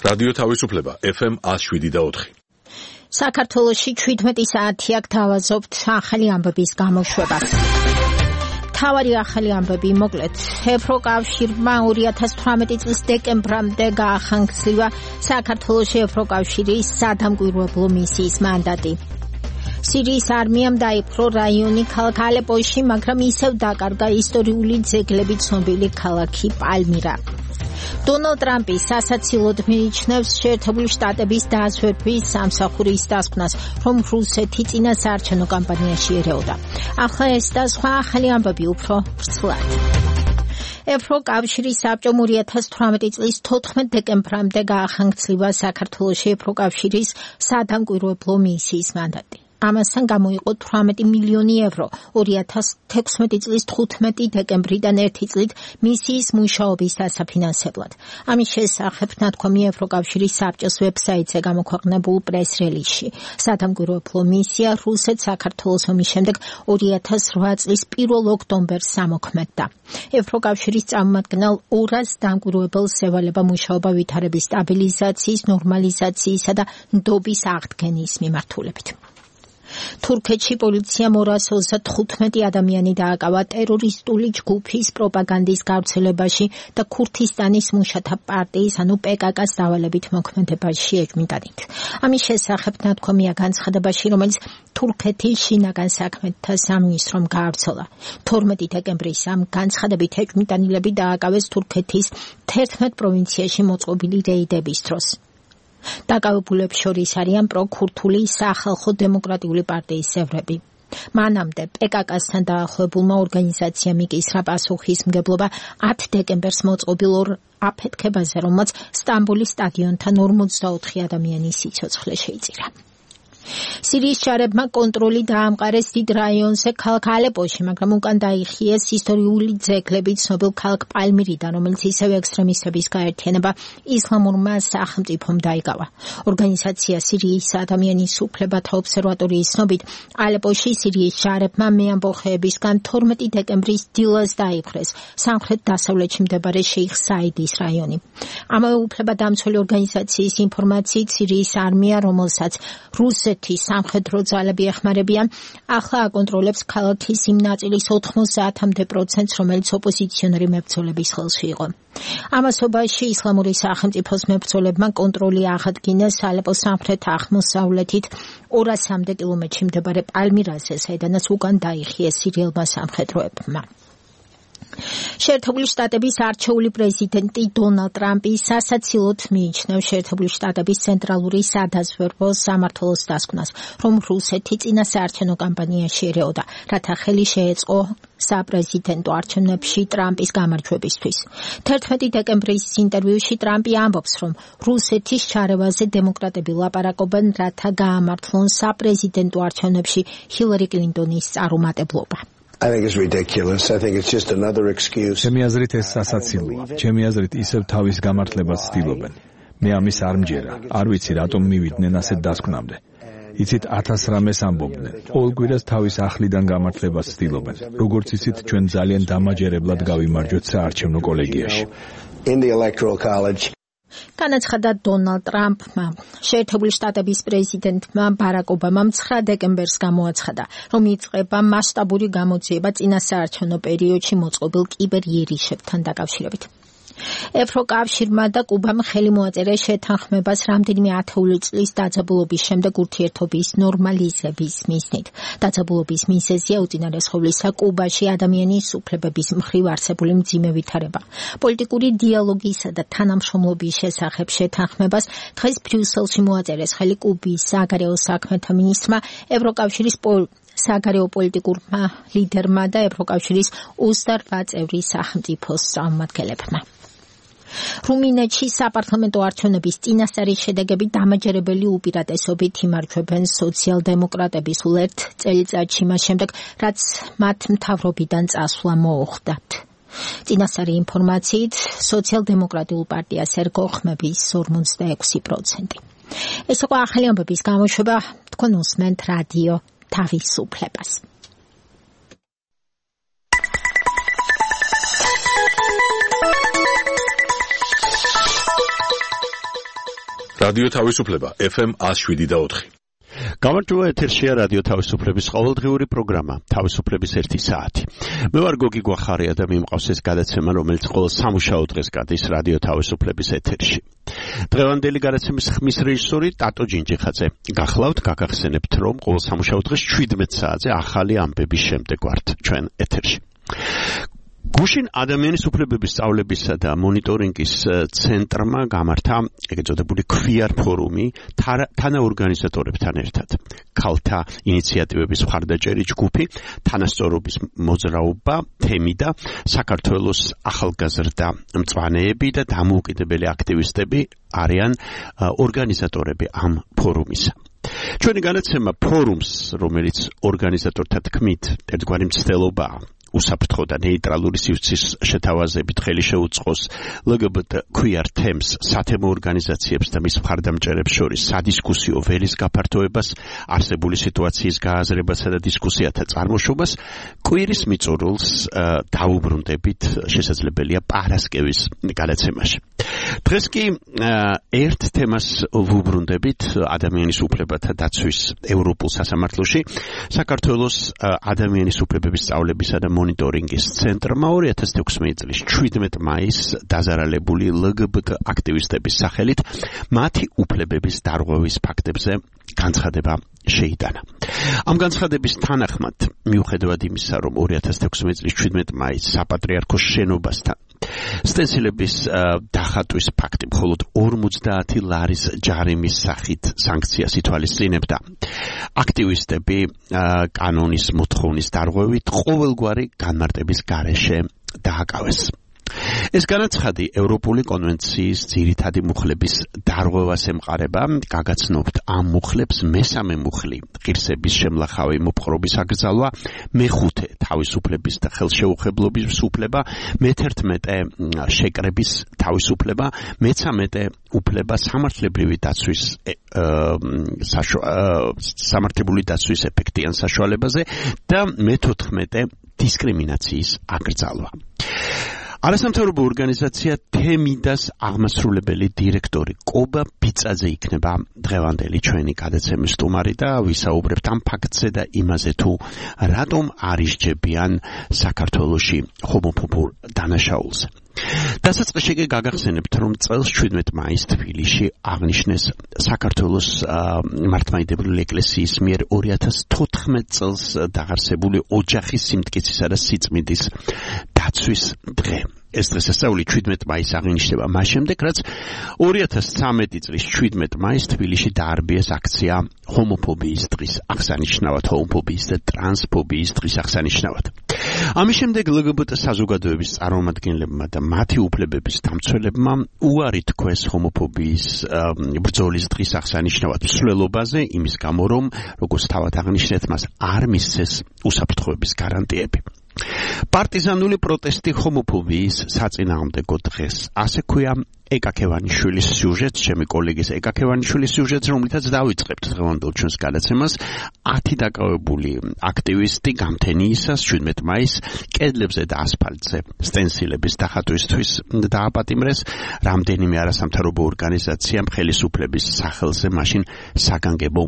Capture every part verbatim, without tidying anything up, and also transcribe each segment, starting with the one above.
რადიო თავისუფლება ეფ ემ one oh seven point four. საქართველოში ჩვიდმეტი საათი აქ თავაზობთ ახალი ამბების გამოშვებას. თავარი ახალი ამბები მოკლედ. ევროკავშირმა ორი ათას თვრამეტი წლის დეკემბრამდე გაახანგცლივა საქართველოში ევროკავშირის სადამკვირვებლო მისიის მანდატი. სირიის არმიამ დაიპყრო რაიონი ქალაქ ალეპოში, მაგრამ ისევ დაკარგა ისტორიული ძეგლები ცნობილი ქალაქი პალმირა. დონალდ ტრამპი სასაცილოდ მიიჩნევს შეერთებული შტატების დაზვერვის სამსახურის დასკვნას, რომ რუსეთი წინასაარჩევნო კამპანიაში ერეოდა. ახლა ეს და სხვა ახალი ამბები უფრო ვრცლად. ევროკავშირის საბჭომ ორი ათას თვრამეტი წლის თოთხმეტ დეკემბრამდე გაახანგცლივა საქართველოში ევროკავშირის სადამკვირვებლო მისიის მანდატი. ამასთან გამოიყო თვრამეტი მილიონი ევრო ორი ათას თექვსმეტი წლის თხუთმეტი დეკემბრიდან ერთი წლით მისიის მუშაობის დასაფინანსებლად. ამის შესახებ ნათქვამი ევროკავშირის საბჭოს ვებსაიტზე გამოქვეყნებულ პრეს-რელიზში. სადამკვირვებლო მისია რუსეთს საქართველოს ომის შემდეგ ორი ათას რვა წლის პირველ ოქტომბერს ამოქმედდა. ევროკავშირის წარმომადგენელ ორას დამკვირვებელს ევალება მუშაობა ვითარების სტაბილიზაციის, ნორმალიზაციისა და ნდობის აღდგენის მიმართულებით. თურქეთში პოლიციამ ორას ოცდათხუთმეტი ადამიანი დააკავა ტერორისტული ჯგუფის პროპაგანდის გავრცელებაში და ქურთისტანის მუშათა პარტიის ანუ პე კა კას დავალებით მოქმედებაში ეჭვმიტანით. ამის შესახებ ნათქვამია განცხადებაში, რომელიც თურქეთის შინაგან საქმეთა სამინისტრომ გაავრცელა. თორმეტი დეკემბრის ამ განცხადებით ეჭვმიტანილები დააკავეს თურქეთის თერთმეტ პროვინციაში მოწყობილი რეიდების დროს. დაკავებულებს შორის არიან პროქურთული სახალხო დემოკრატიული პარტიის წევრები. მანამდე პე კა კასთან დაახლოებულმა ორგანიზაციამ იკისრა პასუხისმგებლობა ათ დეკემბერს მოწყობილ ორ აფეთქებაზე, რომელმაც სტამბოლის სტადიონთან ორმოცდაოთხი ადამიანის სიცოცხლე შეიწირა. სირიის ჯარებმა კონტროლი დაამყარეს დიდ რაიონზე ქალაქ ალეპოში, მაგრამ უკან დაიხიეს ისტორიული ძეგლები ცნობილ ქალაქ პალმირიდან, რომელიც ისევ ექსტრემისტების გაერთიანება ისლამურმა სახელმწიფომ დაიკავა. ორგანიზაცია სირიის ადამიანის უფლებათა ობსერვატორიის ცნობით, ალეპოში სირიის ჯარებმა მეამბოხეებისგან თორმეტი დეკემბრის დილას დაიპყრეს სამხრეთ-დასავლეთში მდებარე შეიხ საიდის რაიონი. ამავე უფლებადამცველი ორგანიზაციის ინფორმაციით, სირიის არმია, რომელსაც რუსეთი სამხედრო ძალები ეხმარებიან, ახლა აკონტროლებს ქალაქის იმ ნაწილის ოთხმოცდაათამდე პროცენტს, რომელიც ოპოზიციონერი მებრძოლების ხელში იყო. ამასობაში ისლამური სახელმწიფოს მებრძოლებმა კონტროლი აღადგინეს ალეპოს სამხრეთ-აღმოსავლეთით ორასამდე კილომეტრში მდებარე პალმირაზე, საიდანაც უკან დაიხიეს სირიელმა სამხედროებმა. შეერთებული შტატების არჩეული პრეზიდენტი დონალდ ტრამპი სასაცილოდ მიიჩნევს შეერთებული შტატების ცენტრალური სადაზვერვო სამმართველოს დასკვნას, რომ რუსეთი წინასაარჩევნო კამპანიაში ერეოდა, რათა ხელი შეეწყო საპრეზიდენტო არჩევნებში ტრამპის გამარჯვებისთვის. თერთმეტი დეკემბრის ინტერვიუში ტრამპი ამბობს, რომ რუსეთის ჩარევაზე დემოკრატები ლაპარაკობენ, რათა გაამართლონ საპრეზიდენტო არჩევნებში ჰილარი კლინტონის წარუმატებლობა. I think it's ridiculous. I think it's just another excuse. ჩემი აზრით ეს სასაცილოა. ჩემი აზრით ისევ თავის გამართლებას ცდილობენ. მე ამის არ მჯერა. არ ვიცი რატომ მივიდნენ ასეთ დასკვნამდე. იცით ათას რამეს ამბობდნენ. ყოველ კვირას თავის ახლიდან გამართლებას ცდილობენ. როგორც იცით, ჩვენ ძალიან დამაჯერებლად გავიმარჯვეთ საარჩევნო კოლეგიაში. In the electoral college. განაცხადა დონალდ ტრამპმა. შეერთებული შტატების პრეზიდენტმა ბარაკ ობამამ ცხრა დეკემბერს გამოაცხადა, რომ იწყება მასშტაბური გამოძიება წინასაარჩევნო პერიოდში მოწყობილ კიბერიერიშებთან დაკავშირებით. ევროკავშირმა და კუბამ ხელი მოაწერეს შეთანხმებას რამდენიმე ათეული წლის დაძაბულობის შემდეგ ურთიერთობის ნორმალიზების მიზნით. დაძაბულობის მიზეზია უწინარესხოვლისა კუბაში ადამიანის უფლებების მხრივ არსებული მძიმე ვითარება. პოლიტიკური დიალოგისა და თანამშრომლობის შესახებ შეთანხმებას დღეს ბრიუსელში მოაწერეს ხელი კუბის საგარეო საქმეთა მინისტრმა, ევროკავშირის საგარეო პოლიტიკურმა ლიდერმა და ევროკავშირის ოცდარვა წევრი სახელმწიფოს წარმომადგენლებმა. რუმინეთში საპარლამენტო არჩევნების წინასწარი შედეგები დამაჯერებელი უპირატესობით იმარჯვებენ სოციალ-დემოკრატები სულ ერთ წელიწადში მას შემდეგ, რაც მათ მთავრობიდან წასვლა მოუხდათ. წინასწარი ინფორმაციით, სოციალ-დემოკრატიულ პარტიას ერგოხმების ორმოცდაექვსი პროცენტი. ეს იყო ახალი ამბების გამოშვება, თქვენ უსმენთ რადიო თავისუფლებას. რადიო თავისუფლება ეფ ემ one oh seven point four. გამარჯობა, ეთერშია რადიო თავისუფლების ყოველდღიური პროგრამა თავისუფლების ერთი საათი. მე ვარ გოგი გვახარია და მიმყავს ეს გადაცემა, რომელიც ყოველ სამუშაო დღეს გადის რადიო თავისუფლების ეთერში. დღევანდელი გადაცემის ხმის რეჟისორი ტატო ჯინჯიხაძე. გახლავთ, გაგახსენებთ, რომ ყოველ სამუშაო დღეს seventeen საათზე ახალი ამბების შემდეგ ვართ ჩვენ ეთერში. გუშინ ადამიანის უფლებების სწავლებისა და მონიტორინგის ცენტრმა გამართა ეგრეთ წოდებული ქვიარ ფორუმი თანაორგანიზატორებთან ერთად. ქალთა ინიციატივების მხარდაჭერი ჯგუფი, თანასწორობის მოძრაობა, თემი და საქართველოს ახალგაზრდა მწვანეები და დამოუკიდებელი აქტივისტები არიან ორგანიზატორები ამ ფორუმისა. ჩვენი განაცემა ფორუმს, რომელიც ორგანიზატორთა თქმით ერთგვარი მცდელობაა, უსაფრთხო და ნეიტრალური სივრცის შეთავაზებით ხელი შეუწყოს ელ გი ბი ტი ქვიარ თემს, სათემო ორგანიზაციებს და მის მხარდამჭერებს შორის სადისკუსიო ველის გაფართოებას, არსებული სიტუაციის გააზრებასა და დისკუსიათა წარმოშობას, კვირის მიწურულს დაუბრუნდებით შესაძლებელია პარასკევის გადაცემაში. დღეს კი ერთ თემას ვუბრუნდებით ადამიანის უფლებათა დაცვის ევროპულ სასამართლოში. საქართველოს ადამიანის უფლებების სწავლებისა და მონიტორინგის ცენტრმა two thousand sixteen წლის seventeen მაისს დაზარალებული ელ გი ბი ტი აქტივისტების სახელით მათი უფლებების დარღვევის ფაქტებზე განცხადება შეიტანა. ამ განცხადების თანახმად, მიუხედავად იმისა, რომ two thousand sixteen წლის seventeen მაისს საპატრიარქოს შენობასთან სტენსილების დახატვის ფაქტი მხოლოდ forty ლარის ჯარიმის სახით სანქციას ითვალისწინებდა. აქტივისტები კანონის მოთხოვნის დარღვევით ყოველგვარი განმარტების გარეშე დააკავეს. ეს განაცხადი ევროპული კონვენციის ძირითადი მუხლების დარღვევას ემყარება. გაგაცნობთ, ამ მუხლებს მესამე მუხლი ღირსების შემლახავი მოპყრობის აკრძალვა, მეხუთე თავისუფლების და ხელშეუხებლობის უფლება, მეთერთმეტე შეკრების თავისუფლება, მეცამეტე უფლება სამართლებრივი დაცვის სამართლებრივი დაცვის ეფექტიან საშუალებაზე და მეთოთხმეტე დისკრიმინაციის აკრძალვა. არასამთავრობო ორგანიზაცია თემიდას აღმასრულებელი დირექტორი კობა ბიწაძე იქნება დღევანდელი ჩვენი გადაცემის სტუმარი და ვისაუბრებთ ამ ფაქტზე და იმაზე, თუ რატომ არ ისჯებიან საქართველოში ჰომოფობურ დანაშაულს. დასაწყისში კი გაგახსენებთ, რომ წელს seventeen მაისს თბილისში აღნიშნეს საქართველოს მართლმადიდებლური ეკლესიის მიერ two thousand fourteen წელს დაღარსებული ოჯახის სიმტკიცისა და სიწმინდის დაცვის დღე. ეს დღესასწაული seventeen მაისს აღინიშნება მას შემდეგ, რაც two thousand thirteen წლის seventeen მაისს თბილისში დაარბიეს აქცია ჰომოფობიის დღის აღსანიშნავად, ჰომოფობიის და ტრანსფობიის დღის აღსანიშნავად. ამის შემდეგ ელ გი ბი ტი საზოგადოების წარმომადგენლებმა და მათი უფლებების დამცველებმა უარი თქვეს ჰომოფობიის ბრძოლის დღის აღსანიშნავად მსვლელობაზე, იმის გამო, რომ როგორც თავად აღნიშნეთ, მას არ მისცეს უსაფრთხოების გარანტიები. პარტიზანული პროტესტი ჰომოფობიის საწინააღმდეგო დღეს. ასე ქვია ეკაკევანიშვილის სიუჟეტს, ჩემი კოლეგის ეკაკევანიშვილის სიუჟეტს, რომლითაც დავიწყებთ დღევანდელ ჩვენს გადაცემას. ათი დაკავებული აქტივისტი გამთენიისას seventeen მაისს კედლებზე და ასფალტზე სტენსილების დახატვისთვის დააპატიმრეს. რამდენიმე არასამთავრობო ორგანიზაციამ ხელისუფლების სახელზე მაშინ საგანგებო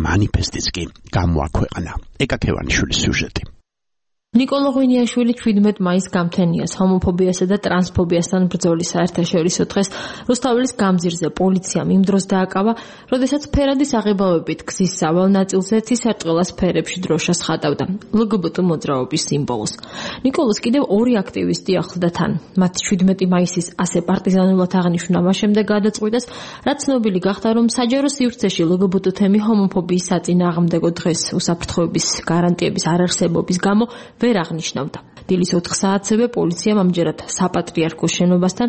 მანიფესტიც კი გამოაქვეყნა. ეკაკევანიშვილის სიუჟეტი. ნიკოლო ღვინიაშვილი seventeen მაისს გამთენიას ჰომოფობიასა და ტრანსფობიასთან ბრძოლის საერთაშორისო დღეს რუსთაველის გამზირზე პოლიციამ იმ დროს დააკავა, როდესაც ფერადის აღებავებით გზის სავალ ნაწილზე თისარტყელას ფერებში დროშას ხატავდა ელ გი ბი ტი მოძრაობის სიმბოლოს. ნიკოლოს კიდევ ორი აქტივისტი ახლდა თან. მათ seventeen მაისის ასე პარტიზანულად აღნიშნა მას შემდეგ გადაწყვიტეს, რაც ცნობილი გახდა, რომ საჯარო სივრცეში ელ გი ბი ტი თემი ჰომოფობიის საწინააღმდეგო დღეს უსაფრთხოების გარანტიების არარსებობის გამო ვერ აღნიშნავდა. დილის ოთხ საათზე პოლიციამ ამჯერად საპატრიარქოს შენობასთან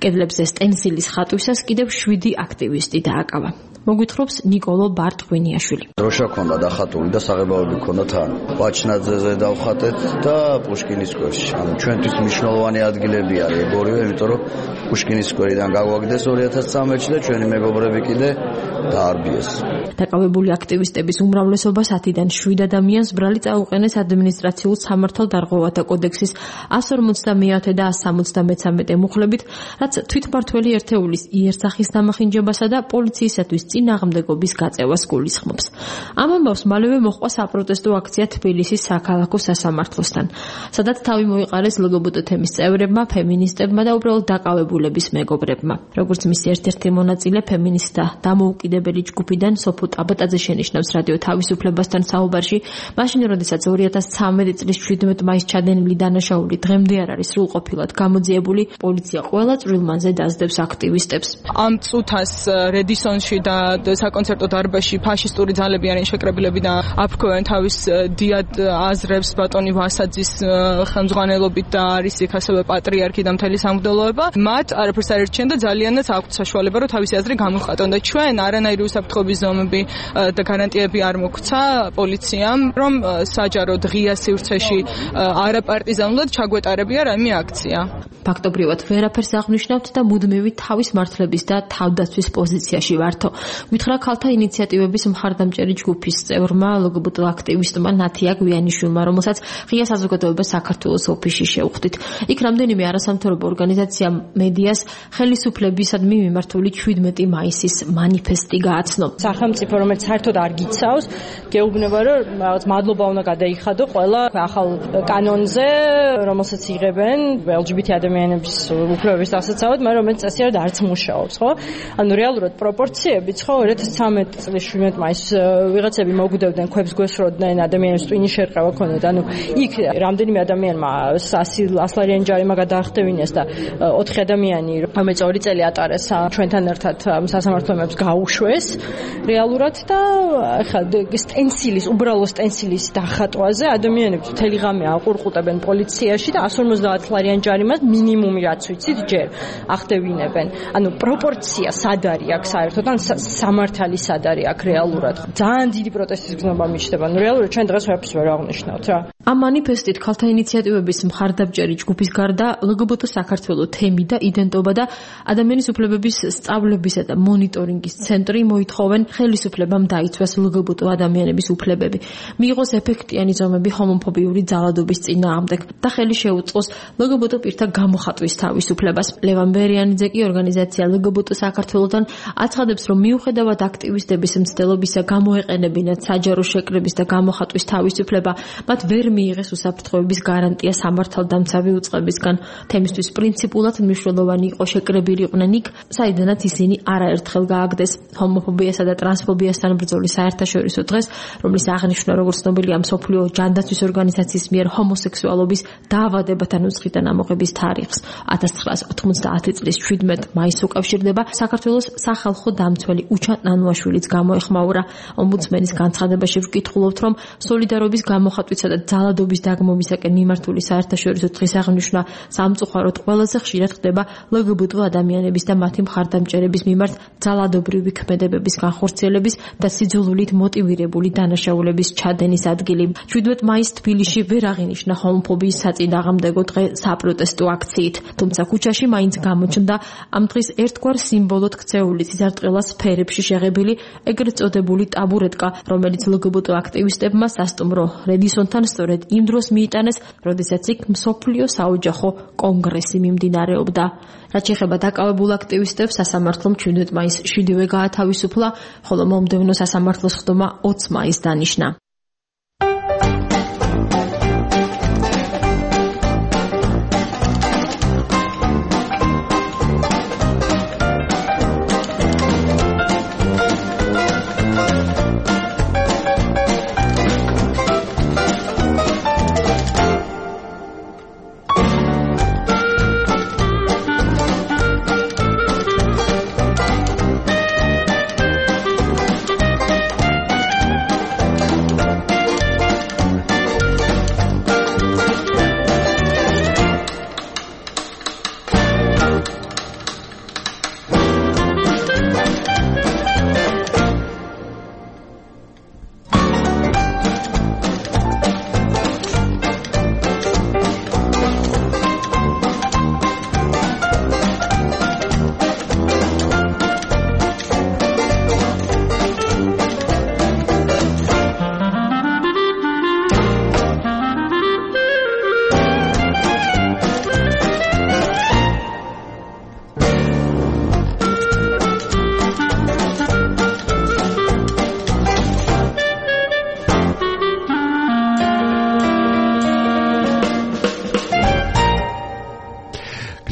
კედლებზე სტენსილის ხატვისას კიდევ შვიდი აქტივისტი დააკავა. მოგვითხრობს ნიკოლო ბარტღვინიაშვილი. დროშა ქონდა დახატული და საღებავები ქონდა თან. ვაჩნაძეზე დავხატეთ და პუშკინის სკვერში. ანუ ჩვენთვის მნიშვნელოვანი ადგილები არის ეგ ორივე, იმიტომ რომ პუშკინის სკვერიდან გაგვაგდეს ორი ათას ცხრამეტში და ჩვენი მეგობრები კიდე დაარბიეს. დაკავებული აქტივისტების უმრავლესობა სათიდან შვიდ ადამიანს ბრალი წაუყენეს ადმინისტრაციულ სამართალდარღვევათა კოდექსის εκατს ორმოცდამეათე და εκατს სამოცდამეცამეტე მუხლებით, რაც თვითმმართველი ერთეულის იერსახის დამახინჯებასა და პოლიციისათვის წინააღმდეგობის გაწევას გულისხმობს. ამ ამბავს მალევე მოჰყვა საპროტესტო აქცია თბილისის საქალაქო სასამართლოსთან, სადაც თავი მოიყარეს ლგბტ თემის წევრებმა, ფემინისტებმა და უბრალოდ დაკავებულების მეგობრებმა. როგორც მისი ერთ-ერთი მონაწილე ფემინისტთა დამოუკიდებელი ჯგუფიდან სოფო ტაბატაძე შენიშნავს რადიო თავისუფლებასთან საუბარში, მაშინ როდესაც ორი ათას ცხრამეტი წლის შვიდმეტ მაისს ჩადენილი დანაშაული დღემდე არ არის სრულყოფილად გამოძიებული, პოლიცია ყველა წვრილმანზე დაძდებს აქტივისტებს. ამ წუთას რედისონში და საკონცერტო დარბაზში ფაშისტური ძალები არიან შეკრებილები და აფრქვევენ თავის დიად აზრებს ბატონი ვასაძის ხელმძღვანელობით და არის იქ ასევე პატრიარქი და მთელი სამღვდელოება. მათ არაფერს არ ერჩიან და ძალიანაც აქვთ საშუალება რომ თავისი აზრი გამოხატონ და ჩვენ არანაირი უსაფრთხოების ზომები და გარანტიები არ მოგვცა პოლიციამ, რომ საჯაროდ ღია სივრცეში არაპარტიზანულად ჩაგვეტარებია რაიმე აქცია. ფაქტობრივად ვერაფერს აღნიშნავთ და მუდმივი თავის მართლების და თავდაცვის პოზიციაში ვართო. გითხრა ქალთა ინიციატივების მხარდამჭერი ჯგუფის წევრმა ლგბტ აქტივისტმა ნათია გვიანიშვილმა, რომელსაც ღია საზოგადოება საქართველოს ოფისში შევხვდით. იქ რამდენიმე არასამთავრობო ორგანიზაცია მედიას ხელისუფლებისადმი მიმართული შვიდმეტი მაისის მანიფესტი გააცნო. სახელმწიფო რომელიც საერთოდ არ გიცავს, გეუბნება რომ რაღაც მადლობა უნდა გადაიხადო ყველა ახალ კანონზე, რომელსაც იღებენ ელ ჯი ბი თი ადამიანების უფლებების დასაცავად, მაგრამ რომელიც წესი არ არც მუშაობს, ხო? ანუ რეალურად პროპორციებიც ხო ორი ათას ცხრამეტი წლის შვიდმეტ მაისს ვიღაცები მოგვდევდნენ, ქვებს გვესროდნენ, ადამიანებს ტვინი შერყევა ქონდათ. ანუ იქ რამდენიმე ადამიანმა ასლარიანი ჯარიმა გადაახტევინეს და ოთხი ადამიანი, რომელიც ორი წელი ატარეს ჩვენთან ერთად სასამართლოებს გაუშვეს რეალურად და ახლა სტენსილის, უბრალო სტენსილის დახატვაზე ადამიანებს მთელი ღამე აყურყუტებენ პოლიციაში და εκατს ორმოცდაათ ლარიან ჯარიმას მინიმუმი რაც ვიცით ჯერ ახდევინებენ. ანუ პროპორცია სად არის აქ საერთოდ, ან სამართალი სად არის აქ რეალურად. ძალიან დიდი პროტესტის გზნობა მიჩნდება. ანუ რეალურად ჩვენ დღეს ვერაფერს ვერ აღნიშნავთ რა. ამ მანიფესტით ქალთა ინიციატივების მხარდამჭერი ჯგუფის გარდა ლგბტ საქართველოს თემი და იდენტობა და ადამიანის უფლებების სწავლებისა და მონიტორინგის ცენტრი მოითხოვენ ხელისუფლებამ დაიცვას ლგბტ ადამიანების უფლებები, მიიღოს ეფექტიანი ზომები ჰომოფობიური ძალადობის წინააღმდეგ და ხელი შეუწყოს ლგბტ პირთა გამოხატვის თავისუფლებას. ლევან ბერიანიძე კი ორგანიზაცია ლგბტ საქართველოსთან აცხადებს, რომ მიუხედავად აქტივისტების მცდელობისა გამოეყენებინათ საჯარო შეკრების და გამოხატვის თავისუფლება, მათ ვერ მიიღეს უსაფრთხოების გარანტია სამართალდამცავი უწყებისგან. თემისთვის პრინციპულად მნიშვნელოვანი იყო შეკრებილიყვნენ იქ, საიდანაც ისინი არაერთხელ გააგდეს. ჰომოფობიასა და ტრანსფობიასთან ბრძოლის საერთაშორისო დღეს, რომლის აღნიშვნა როგორც ცნობილია მსოფლიო ჯანდაცვის ორგანიზაციის მიერ ჰომოსექსუალობის დაავადებათა ნუსხიდან ამოღების თარიღს ათას ცხრაას ოთხმოცდაათი წლის შვიდმეტ მაისს უკავშირდება. საქართველოს სახალხო დამცველი უჩან ნანუაშვილიც გამოეხმაურა. ომბუდსმენის განცხადებაში ვკითხულობთ, რომ სოლიდარობის გამოხატვისა და ძალადობის დაგმოვისაკენ მიმართული საერთაშორისო დღის აღნიშვნა სამწუხაროდ ყველაზე ხშირად ხდება ლგბტ ადამიანების და მათი მხარდამჭერების მიმართ ძალადობრივი ქმედებების განხორციელების და სიძულვილით მოტივირებული დანაშაულების ჩადენის ადგილი. შვიდმეტ მაისს თბილისში ვერ აღინიშნა ჰომოფობიის საწინააღმდეგო დღე საპროტესტო აქციით, თუმცა ქუჩაში მაინც გამოჩნდა ამ დღის ერთგვარ სიმბოლოდ ქცეული სიზარტყელას სფერებში შეღებილი ეგრეთ წოდებული ტაბურეტკა, რომელიც ლგბტ აქტივისტებმა სასტუმრო რედისონთან სწორედ იმ დროს მიიტანეს, როდესაც იქ მსოფლიო საოჯახო კონგრესი მიმდინარეობდა. რაც შეეხება დაკავებულ აქტივისტებს, სასამართლომ შვიდმეტ მაისს შვიდივე გაათავისუფლა, ხოლო მომდევნო სასამართლოს ხდომა ოცი მაისს დანიშნა.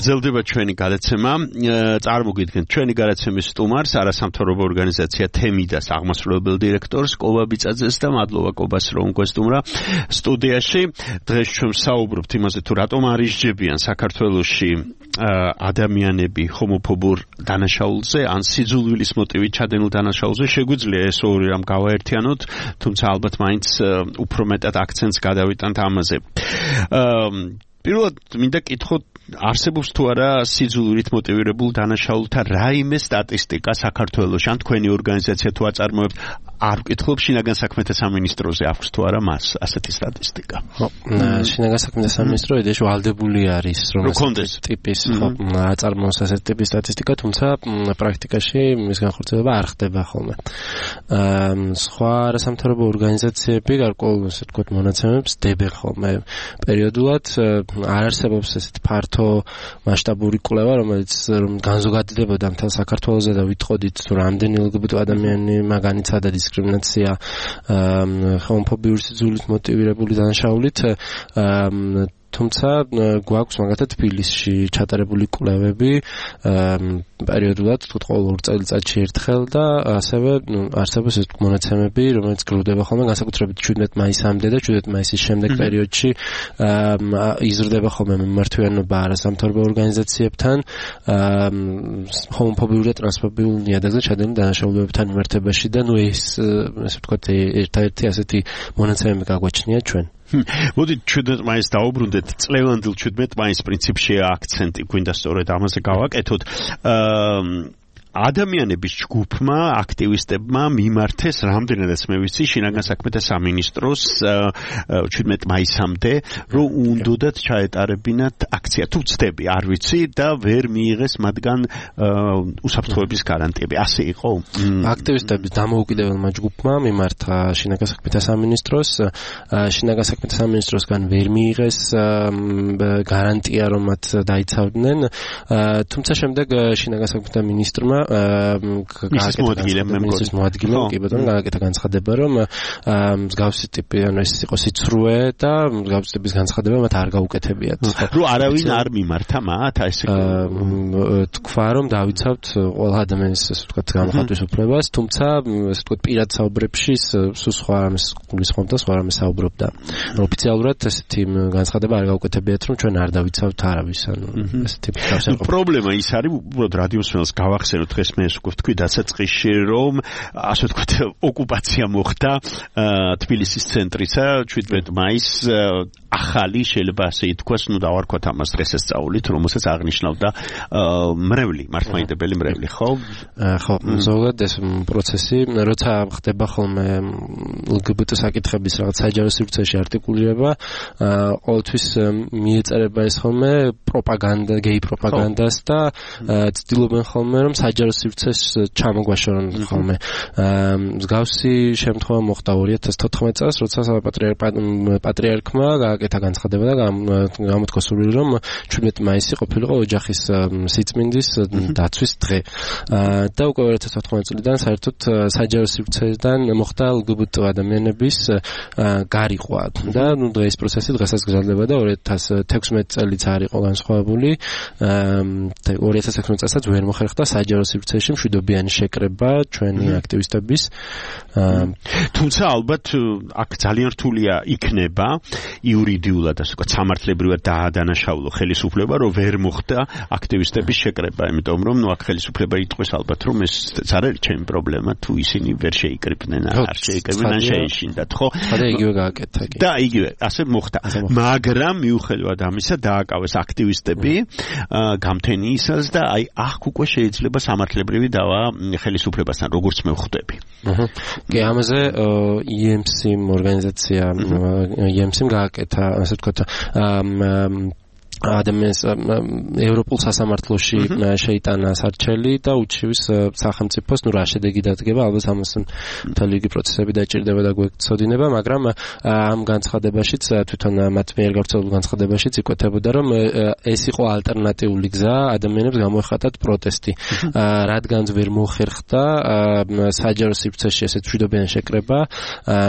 გრძელდება ჩვენი გადაცემა. წარმოგიდგენთ ჩვენი გადაცემის სტუმარს, არასამთავრობო ორგანიზაცია თემიდას აღმასრულებელ დირექტორს კობა ბიწაძეს და მადლობა კობას რომ გვესტუმრა სტუდიაში. დღეს ჩვენ საუბრობთ იმაზე თუ რატომ არ ისჯებიან საქართველოში ადამიანები ჰომოფობურ დანაშაულზე ან სიძულვილის მოტივით ჩადენილ დანაშაულზე. შეგვიძლია ეს ორი რამ გავაერთიანოთ, თუმცა ალბათ მაინც უფრო მეტად აქცენტს გადავიტანთ ამაზე. პირველად მინდა კითხოთ, არსებობს თუ არა სიძულვილით მოტივირებულ დანაშაულთა რაიმე სტატისტიკა საქართველოში, ან თქვენი ორგანიზაცია თუ აწარმოებთ? არ ვკითხულობ შინაგან საქმეთა სამინისტროზე აქვს თუ არა მას ასეთი სტატისტიკა. ხო, შინაგან საქმეთა სამინისტრო იდეაში ვალდებული არის რომ კონდეს ტიპის ხო აწარმოოს ასეთი ტიპის სტატისტიკა, თუმცა პრაქტიკაში მის განხორციელება არ ხდება ხოლმე. სხვა არასამთავრობო ორგანიზაციები გარკვეულ ასე ვთქვათ მონაცემებს დებენ ხოლმე პერიოდულად. არ არსებობს ესეთი ფართო მასშტაბური კვლევა, რომელიც განზოგადებოდა მთელ საქართველოზე და ვიტყოდით თუ რამდენი ლგბტ ადამიანი მაგანიცადა დისკრიმინაცია ჰომოფობიური სიძულვილით მოტივირებული დანაშაულით. თუმცა გვაქვს მაგათაც თბილისში ჩატარებული კვლევები პერიოდულად თუ ყოველ ორ წელიწადში ერთხელ და ასევე არსებობს ეს მონაცემები, რომელიც გროვდება ხოლმე განსაკუთრებით შვიდმეტ მაისამდე და შვიდმეტ მაისის შემდეგ პერიოდში იზრდება ხოლმე მიმართვიანობა არასამთავრობო ორგანიზაციებთან ჰომოფობიური და ტრანსფობიურ ნიადაგზე ჩადენილ დანაშაულებებთან მიმართებაში და ნუ ეს ასე ვთქვათ ერთადერთი ასეთი მონაცემები გაგვაჩნია ჩვენ. მოდით შვიდმეტ მაისს დაუბრუნდეთ. წლევანდელ შვიდმეტ მაისს პრინციპშია აქცენტი გვინდა სწორედ ამაზე გავაკეთოთ. ადამიანების ჯგუფმა, აქტივისტებმა მიმართეს რამდენადაც მე ვიცი შინაგან საქმეთა სამინისტროს შვიდმეტ მაისამდე, რომ უნდათ ჩაეტარებინათ აქცია. თუ ცდები, არ ვიცი და ვერ მიიღეს მათგან უსაფრთხოების გარანტიები. ასე იყო? აქტივისტების დამოუკიდებელმა ჯგუფმა მიმართა შინაგან საქმეთა სამინისტროს, შინაგან საქმეთა სამინისტროსგან ვერ მიიღეს გარანტია, რომ მათ დაიცავდნენ, თუმცა შემდეგ შინაგან საქმეთა მინისტრმა მისის მოადგილემ კი ბატონო გააკეთა განცხადება, რომ მსგავსი ტიპი ანუ ეს იყო სიცრუე და მსგავსი ტიპის განცხადება მათ არ გაუკეთებიათ. რომ არავინ არ მიმართა მათ ასე თქვა, რომ დავიცავთ ყველა ადამიანის ასე ვთქვათ გამოხატვის უფლებას, თუმცა ასე ვთქვათ პირად საუბრებში სულ სხვა რამეს გულისხმობდა, სხვა რამეს საუბრობდა. ოფიციალურად ესეთი განცხადება არ გაუკეთებიათ, რომ ჩვენ არ დავიცავთ არავის, ანუ ეს ტიპის გავსაუბრებელი. პრობლემა ის არის, უბრალოდ რადიოსმენელს გავახსენოთ დღეს მე ეს უკვე ვთქვი დასაწყისში, რომ ასე ვთქვათ ოკუპაცია მოხდა თბილისის ცენტრისა შვიდმეტ მაისს ახალი შეიძლება ასე ითქვას, ნუ დავარქვათ ამას დღესასწაულით, რომელსაც აღნიშნავდა მრევლი, მართლმადიდებელი მრევლი, ხო? ხო, ზოგადად ეს პროცესი, როცა ხდება ხოლმე ლგბტ საკითხების რაღაც საჯარო სივრცეში არტიკულირება, ყოველთვის მიეწერება ეს ხოლმე პროპაგანდა, გეი პროპაგანდას და ცდილობენ ხოლმე რომ საჯარო სივრცეს ჩამოგვაშორონ ხოლმე. მსგავსი შემთხვევა მოხდა ორი ათას თოთხმეტ წელს, როცა პატრიარქმა გააკეთა განცხადება და გამოთქვა სურვილი, რომ შვიდმეტ მაისი ყოფილიყო ოჯახის სიწმინდის დაცვის დღე. და უკვე ორი ათას თოთხმეტ წლიდან საერთოდ საჯარო სივრცედან მოხდა ლგბტ ადამიანების გარიყვა და ნუ დღეს პროცესი დღესაც გრძელდება და ორი ათას თექვსმეტ წელიც არ იყო განსხვავებული. ორი ათას თექვსმეტ წელსაც ვერ მოხერხდა საჯარო სივრცეში მშვიდობიანი შეკრება ჩვენი აქტივისტების. თუმცა ალბათ აქ ძალიან რთულია იქნება იურიდიულად ასე ვთქვათ სამართლებრივად დაადანაშაულო ხელისუფლება, რომ ვერ მოხდა აქტივისტების შეკრება, იმიტომ რომ ნუ აქ ხელისუფლება იტყვის ალბათ, რომ ეს არ არის ჩემი პრობლემა, თუ ისინი ვერ შეიკრიბნენ, არ შეიკრიბნენ, ან შეეშინდათ, ხო? და იგივე გააკეთა კი. და იგივე ასე მოხდა. მაგრამ მიუხედავად ამისა დააკავეს აქტივისტები გამთენიისას და აი ახ უკვე შეიძლება სამართლებრივი დავა ხელისუფლებასთან, როგორც მე ვხვდები. კი, ამაზე ი ემ სი ორგანიზაცია ი ემ სი გააკეთა, ასე ვთქვათ, ადამიანის ევროპულ სასამართლოში შეიტანა სარჩელი და უჩივის სახელმწიფოს, ნუ რა შედეგი დადგება, ალბათ ამას მთელი რიგი პროცესები დაჭირდება და გვეცოდინება, მაგრამ ამ განცხადებაშიც თვითონ მათ მიერ გავრცელებულ განცხადებაშიც იკვეთებოდა, რომ ეს იყო ალტერნატიული გზა ადამიანებს გამოეხატათ პროტესტი. რადგანაც ვერ მოხერხდა საჯარო სივრცეში ესეთ მშვიდობიანი შეკრება,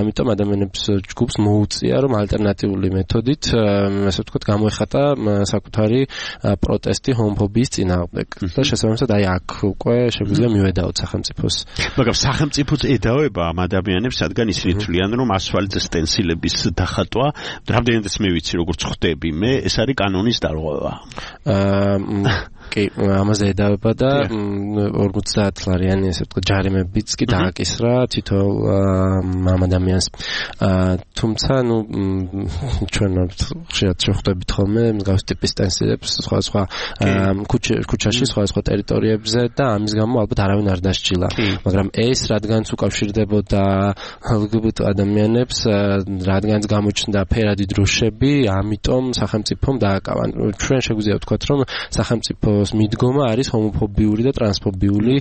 ამიტომ ადამიანებს ჯგუფს მოუწია, რომ ალტერნატიული მეთოდით, ასე ვთქვათ, გამოეხატა საკუთარი პროტესტი ჰომოფობიის წინააღმდეგ. და შესაბამისად აი აქ უკვე შეგვიძლია მივედაოთ სახელმწიფოს. მაგრამ სახელმწიფოც ედავება ამ ადამიანებს, რადგან ისინი თვლიან, რომ ასფალტზე სტენსილების დახატვა, რამდენადაც მე ვიცი, როგორც ხვდები მე, ეს არის კანონის დარღვევა. აა კი, ამაზე ედავება და ორმოცდაათ ლარიანი ესე ვთქვათ ჯარიმებიც კი დააკისრა თითოეულ ამ ადამიანს. თუმცა ნუ ჩვენ ხშირად შევხვდებით ხოლმე მსგავს ტიპის სტენსილებს სხვადასხვა ქუჩაში, სხვადასხვა ტერიტორიებზე და ამის გამო ალბათ არავინ არ დასჯილა. მაგრამ ეს რადგანაც უკავშირდებოდა ელ გი ბი ტი ადამიანებს, რადგანაც გამოჩნდა ფერადი დროშები, ამიტომ სახელმწიფომ დააკავა. ჩვენ შეგვიძლია ვთქვათ, რომ სახელმწიფო მიდგომა არის ჰომოფობიური და ტრანსფობიული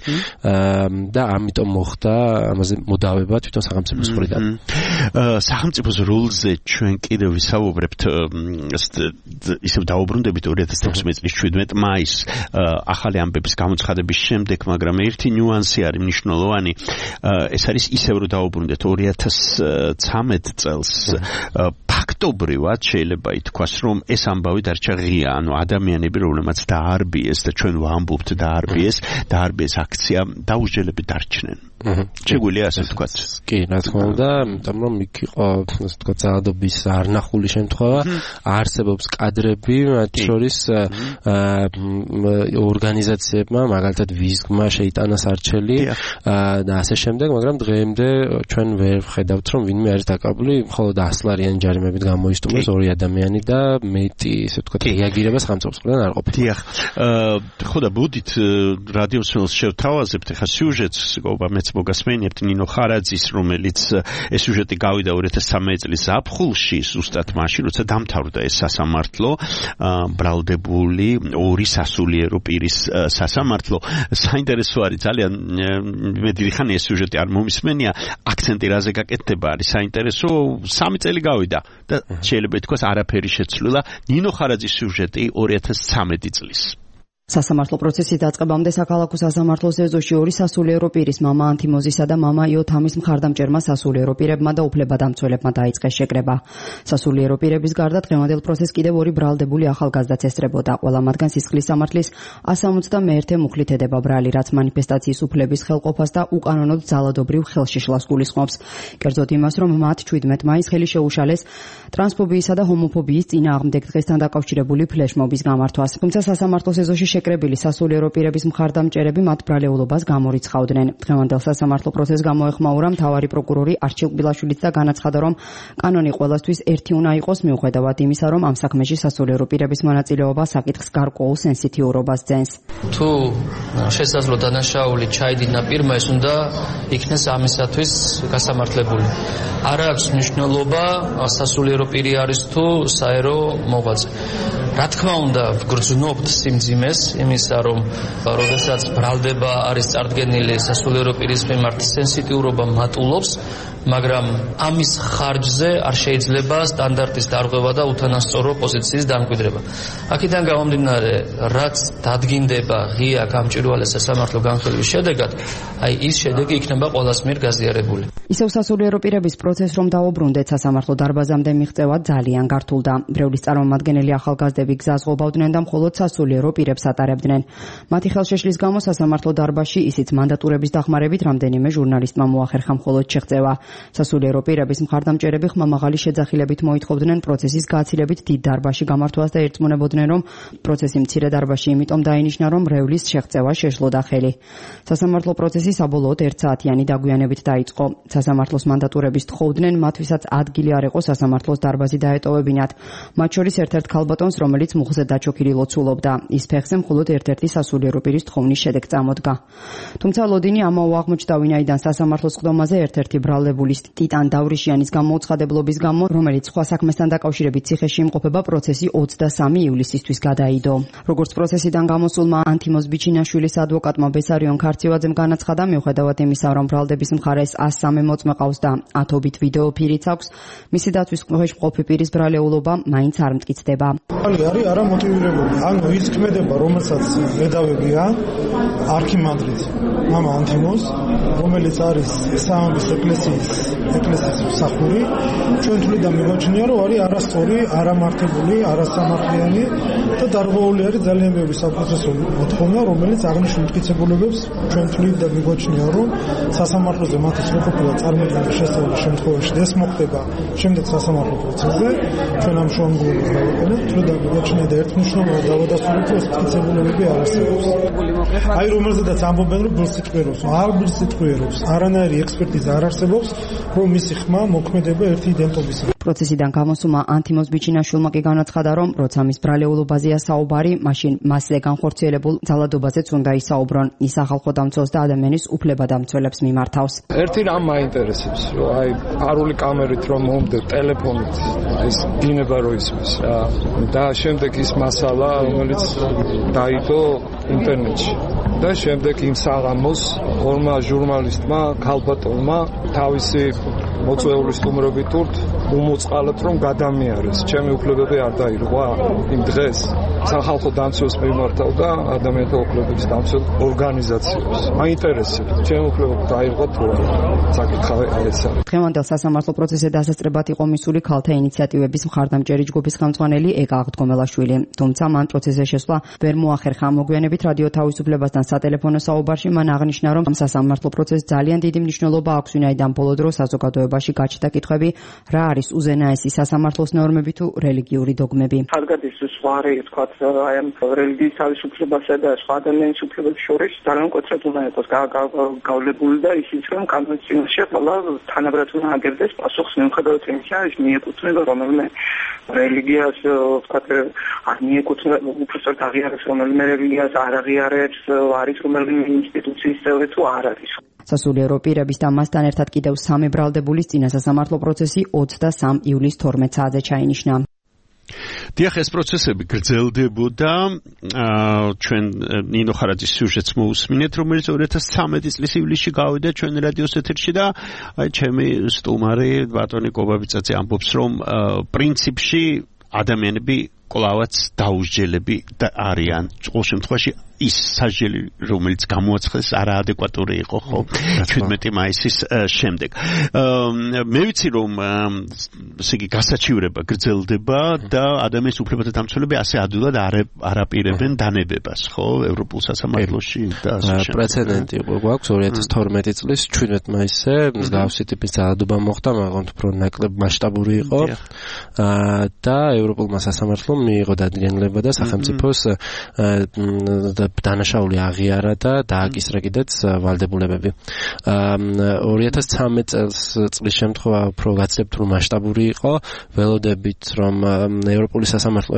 და ამიტომ მოხდა ამაზე მოდავება თვითონ სახელმწიფოს მხრიდან. სახელმწიფოს როლზე ჩვენ კიდევ ვისაუბრებთ ისევ დაუბრუნდებით ორი ათას თექვსმეტი წლის შვიდმეტი მაისს ახალი ამბების გამოცხადების შემდეგ, მაგრამ ერთი ნიუანსი არის მნიშვნელოვანი. ეს არის ისევ რომ დაუბრუნდეთ ორი ათას ცხრამეტ წელს ფაქტობრივად შეიძლება ითქვას, რომ ეს ამბავი დარჩა ღია, ანუ ადამიანები რომლებმაც დაარბიეს და ჩვენ ვამბობთ დაარბიეს, დაარბიეს აქცია დაუსჯელები დარჩნენ. შეგვიძლია ასე ვთქვათ. კი, რა თქმა უნდა, იმიტომ რომ იქ იყო ასე ვთქვათ ძალადობის არნახული შემთხვევა, არსებობს კადრები, მათ შორის ორგანიზაციებმა, მაგალითად ვიზგმა შეიტანა სარჩელი და ასე შემდეგ, მაგრამ დღემდე ჩვენ ვერ ვხედავთ, რომ ვინმე არის დაკავებული, მხოლოდ ასლარიანი ჯარიმებით გამოისტუმრეს ორი ადამიანი და მეტი ასე ვთქვათ რეაგირება სახელმწიფოს მხრიდან არ ყოფილა. დიახ. ხო და ბუდით რადიოსმენელს შევთავაზებთ ახლა სიუჟეტს, გობა მეც მოგასმენიებთ ნინო ხარაძის, რომელიც ეს სიუჟეტი გავიდა ორი ათას ცხრამეტ წლის ზაფხულში, ზუსტად მაშინ, როცა დამთავრდა ეს სასამართლო, ბრალდებული ორი სასულიერო პირის სასამართლო. საინტერესო არის ძალიან, მე დიდი ხანია ეს სიუჟეტი არ მომისმენია, აქცენტი რაზე გაკეთდება არის საინტერესო, სამი წელი გავიდა და შეიძლება ითქვას არაფერი შეცვლილა. ნინო ხარაძის სიუჟეტი ორი ათას ცხრამეტი წლის. სასამართლო პროცესის დაწყებამდე საქართველოს სასამართლოს ეზოში ორი სასულიერო პირის მამა ანთიმოზისა და მამა იოთამის მხარდამჭერმა სასულიერო პირებმა და უფლებადამცველებმა დაიწყეს შეკრება. სასულიერო პირების გარდა დღევანდელ პროცესს კიდევ ორი ბრალდებული ახალგაზრდაც ესწრებოდა. ყველა მათგან სისხლის სამართლის one seventy-one მუხლით ედება ბრალი, რაც მანიფესტაციის უფლების ხელყოფას და უკანონოდ ძალადობრივ ხელშიშლას გულისხმობს. კერძოდ იმას, რომ მათ შვიდმეტი მაისს ხელი შეუშალეს ტრანსფობიისა და ჰომოფობიის წინააღმდეგ დღესთან დაკავშირებული ფლეშმობის გამართვას. თუმცა სასამართლოს ეზოში შეკრებილი სასულიერო პირების მხარდამჭერები მათ ბრალეულობას გამორიცხავდნენ. დღევანდელ სასამართლო პროცესს გამოეხმაურა მთავარი პროკურორი არჩილ ყბილაშვილიც და განაცხადა, რომ კანონი ყველასთვის ერთი უნდა იყოს, მიუხედავად იმისა, რომ ამ საქმეში სასულიერო პირების მონაწილეობა საკითხს გარკვეულ სენსიტიურობას ძენს. თუ შესაძლო დანაშაული ჩაიდინა პირმა, ეს უნდა იქნეს ამისათვის გასამართლებული. არ აქვს მნიშვნელობა სასულიერო პირი არის თუ საერო მოღვაწე. რა თქმა უნდა, ვგრძნობთ სიმძიმეს იმისა, რომ როდესაც ბრალდება არის წარდგენილი სასულიერო პირის მიმართ სენსიტიურობა მატულობს, მაგრამ ამის ხარჯზე არ შეიძლება სტანდარტის დარღვევა და უთანასწორო პოზიციის დამკვიდრება. აქედან გამომდინარე, რაც დადგინდება ღია გამჭვირვალე სასამართლო განხილვის შედეგად, აი ის შედეგი იქნება ყველას მიერ გაზიარებული. ისევ სასულიერო პირების პროცესს რომ დაუბრუნდეთ, სასამართლო დარბაზამდე მიღწევა ძალიან გართულდა. ბრევლის წარმომადგენელი ახალგაზრდები გზას ღობავდნენ და მხოლოდ სასულიერო პირებს ატარებდნენ. მათი ხელშეშლის გამო სასამართლო დარბაზში ისიც მანდატურების დახმარებით რამდენიმე ჟურნალისტმა მოახერხა მხოლოდ შეღწევა. სასულიერო პირების მხარდამჭერები ხმამაღალი შეძახილებით მოითხოვდნენ პროცესის გაცილებით დიდ დარბაზში გამართვას და ერწმუნებოდნენ, რომ პროცესი მცირე დარბაზში იმიტომ დაინიშნა, რომ მრევლის შეღწევა შეშლოდა ხელი. სასამართლო პროცესი საბოლოოდ ერთ საათიანი დაგვიანებით დაიწყო. სასამართლოს მანდატურების თხოვდნენ მათ, ვისაც ადგილი არ იყო სასამართლოს დარბაზი დაეტოვებინათ. მათ შორის ერთ-ერთ ქალბატონს, რომელიც მუხზე დაჩოქილი ლოცულობდა. ის ფეხზე მხოლოდ ერთ-ერთი სასულიერო პირის თხოვნის შედეგ წამოდგა. თუმცა ლოდინი ამაო აღმოჩნდა, ვინაიდან სასამართლოს ყდომაზე ერთ-ერთი ბრალდებული ტიტან დავრიშიანის გამოუცხადებლობის გამო, რომელიც სხვა საქმესთან დაკავშირებით ციხეში იმყოფება, პროცესი ოცდასამი ივლისისთვის გადაიდო. როგორც პროცესიდან გამოსულმა ანთიმოზ ბიჩინაშვილის ადვოკატმა ბესარიონ ქარცივაძემ განაცხადა, მიუხედავად იმისა, რომ ბრალდების მხარეს one oh three მოწმე ყავს და ათობით ვიდეო ფირიც აქვს. მისი დაცვის ქვეშ მყოფი პირის ბრალეულობა მაინც არ მტკიცდება. არის არა მოტივირებული. ანუ ის ქმედება, რომელსაც ედავებია არქიმანდრიტ მამა ანთიმოს, რომელიც არის სამების ეკლესიის ეკლესიის მსახური, ჩვენ თვლიდან მივაჩნია, რომ არის არასწორი, არამართებული, არასამართლიანი და დარღვეული არის ძალიან ბევრი საპროცესო მოთხოვნა, რომელიც აღნიშნულ მტკიცებულებებს ჩვენ თვლიდან მივაჩნია, რომ სასამართლოზე მათი სრულყოფილად წარმოქმნის შესაძლებელი შემთხვევაში ეს მოხდება შემდეგ სასამართლო პროცესზე, ჩვენ ამ შუამდგომლობას დავაკეთებთ, თვლიდან მივაჩნია და ერთმნიშვნელოვნად დავადასტურებთ, რომ ეს მტკიცებულებები არ არსებობს. აი რომელზედაც ამბობენ, რომ ბილსიტყვიერობს, არ ბილსიტყვიერობს, არანაირი ექსპერტიზა არ არსებობს, რომ მისი ხმა მოქმედება ერთი იდენტობისა. პროცესიდან გამოსუმა ანთიმოს ბიჩინაშვილმა კი განაცხადა, რომ როცა მის ბრალეულობაზეა საუბარი, მაშინ მასზე განხორციელებულ ძალადობაზეც უნდა ისაუბრონ. ის სახალხო დამცველს და ადამიანის უფლებადამცველებს მიმართავს. ერთი რამ მაინტერესებს, რომ აი არული კამერით რომ მომდე ტელეფონით ის დინება რო ისმის რა და შემდეგ ის მასალა რომელიც დაიდო ინტერნეტში და შემდეგ იმ საღამოს ორმა ჟურნალისტმა ქალბატონმა თავისი მოწვეული სტუმრობით ურთ უმოწყალეთ რომ გადამიარეს. ჩემი უფლებები არ დაირღვა იმ დღეს სახალხო დამცველს მიმართავდა ადამიანთა უფლებების დამცველ ორგანიზაციებს. მაინტერესებს ჩემი უფლებები დაირღვა თუ არა. საკითხავი ეს არის. დღევანდელ სასამართლო პროცესზე დასაწყებად იყო მისული ქალთა ინიციატივების მხარდამჭერი ჯგუფის ხელმძღვანელი ეკა აღდგომელაშვილი. თუმცა მან პროცესზე შესვლა ვერ მოახერხა. მოგვიანებით რადიო თავისუფლებასთან სატელეფონო საუბარში მან აღნიშნა, რომ სასამართლო პროცესს ძალიან დიდი მნიშვნელობა აქვს, ვინაიდან ბოლო დროს საზოგადოებაში გაჩნდა კითხვები, რა არის უზენაესი სასამართლოს ნორმები თუ რელიგიური დოგმები. ხალხის ზღვარი, თქვათ, აი ამ რელიგიის თავისუფლებასა და სხვა ადამიანის უფლებებს შორის ძალიან მკვეთრად უნდა იყოს გავლებული და ისიც რომ კონვენციაში ყველა თანაბრად უნდა აგერდეს პასუხს მიუხედავად იმისა, ის მიეკუთვნება რომელიმე რელიგიას, თქვათ, არ მიეკუთვნება უბრალოდ აღიარებს რომელიმე რელიგიას, არ აღიარებს, არის რომელიმე ინსტიტუციის წევრი თუ არ არის. სასულიერო პირების და მასთან ერთად კიდევ სამი ბრალდებულის წინა სასამართლო პროცესი ოცდასამი ივლისის თორმეტ საათზე ჩაინიშნა. დიახ, ეს პროცესები გრძელდებოდა. ჩვენ ნინო ხარაძის სიუჟეტს მოусმინეთ, რომელიც ორი ათას ცხრამეტი წლის ივლისში გავიდა ჩვენ რადიოს ეთერში და აი ჩემი სტუმარი ბატონი კობაბიცაძე ამბობს, რომ პრინციპში ადამიანები კვლავაც დაუსჯელები არიან. ყოველ შემთხვევაში ის სასჯელი, რომელიც გამოაცხადეს, არაადეკვატური იყო, ხო? ჩვიდმეტი მაისის შემდეგ. მე ვიცი, რომ ესე იგი გასაჩივრება გრძელდება და ადამიანის უფლებათა დამცველები ასე ადვილად არ აპირებენ დანებებას, ხო? ევროპულ სასამართლოში და ასე შემდეგ. პრეცედენტი იყო გვაქვს ორი ათას თორმეტი წლის ჩვიდმეტ მაისზე მსგავსი ტიპის ძალადობა მოხდა, მაგრამ უფრო ნაკლებ მასშტაბური იყო. და ევროპულმა სასამართლომ მიიღო დადგენილება და სახელმწიფოს დანაშაული აღიარა და დააკისრა კიდეც ვალდებულებები. ორი ათას ცხრამეტ წლის შემთხვევა უფრო გაცლებთ რომ მასშტაბური იყო, ველოდებით რომ ევროპული სასამართლო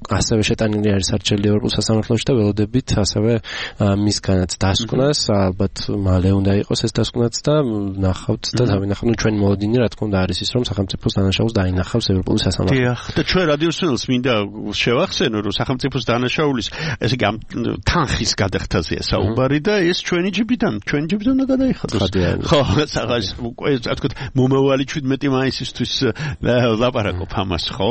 ასევე შეტანილი არის არჩეული ევროპულ სასამართლოში და ველოდებით ასევე მისგანაც დასკვნას, ალბათ მალე უნდა იყოს ეს დასკვნაც და ნახავთ და დავინახავთ ჩვენ მოლოდინი რა თქმა უნდა არის ის რომ სახელმწიფოს დანაშაულს დაინახავს ევროპული სასამართლო. დიახ, და ჩვენ რადიოსმენელს მინდა შევახსენო რომ სახელმწიფოს დანაშაულის ესე იგი თანხის გადახდაზეა საუბარი და ეს ჩვენი ჯიბიდან, ჩვენი ჯიბიდან უნდა გადაიხადოს. ხო, საღას უკვე ასე ვთქვათ, მომავალი ჩვიდმეტი მაისისთვის ლაპარაკობ ამას, ხო?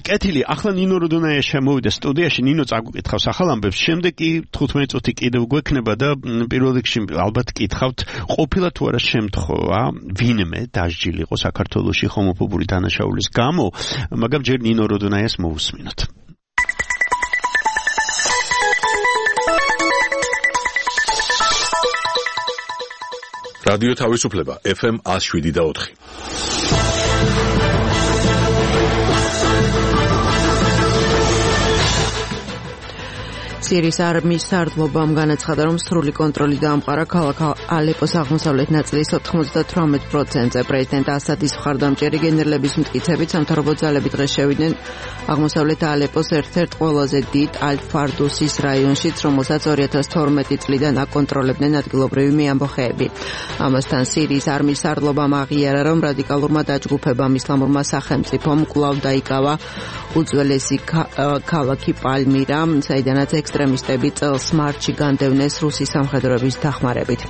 კეთილი, ახლა ნინო როდონაია შემოვიდა სტუდიაში, ნინო წაგუკითხავს ახალ ამბებს, შემდეგ კი თხუთმეტი წუთი კიდევ გვექნება და პირველ რიგში ალბათ კითხავთ, ყოფილა თუ არა შემთხვევა, ვინმე დასჯილიყო საქართველოში ჰომოფობური დანაშაულის გამო, მაგრამ ჯერ ნინო როდონაიას მოусმინოთ. რადიო თავისუფლება ეფ ემ one oh seven და four. სირიის არმიის სარდლობამ განაცხადა, რომ სრული კონტროლი დაამყარა ქალაქ ალეპოს აღმოსავლეთ ნაწილის ოთხმოცდათვრამეტ პროცენტზე. პრეზიდენტ ასადის მხარდამჭერი გენერლების მტკიცებით სამთავრობო ძალები დღეს შევიდნენ აღმოსავლეთ ალეპოს ერთ-ერთ ყველაზე დიდ ალ-ფარდუსის რაიონშიც, რომელსაც ორი ათას თორმეტი წლიდან აკონტროლებდნენ ადგილობრივი მეამბოხეები. ამასთან სირიის არმიის სარდლობამ აღიარა, რომ რადიკალურმა დაჯგუფებამ ისლამურმა სახელმწიფომ კვლავ დაიკავა უძველესი ქალაქი პალმირა, საიდანაც ექსტრემ ექსტრემისტები წელს მარტში განდევნეს რუსი სამხედროების დახმარებით.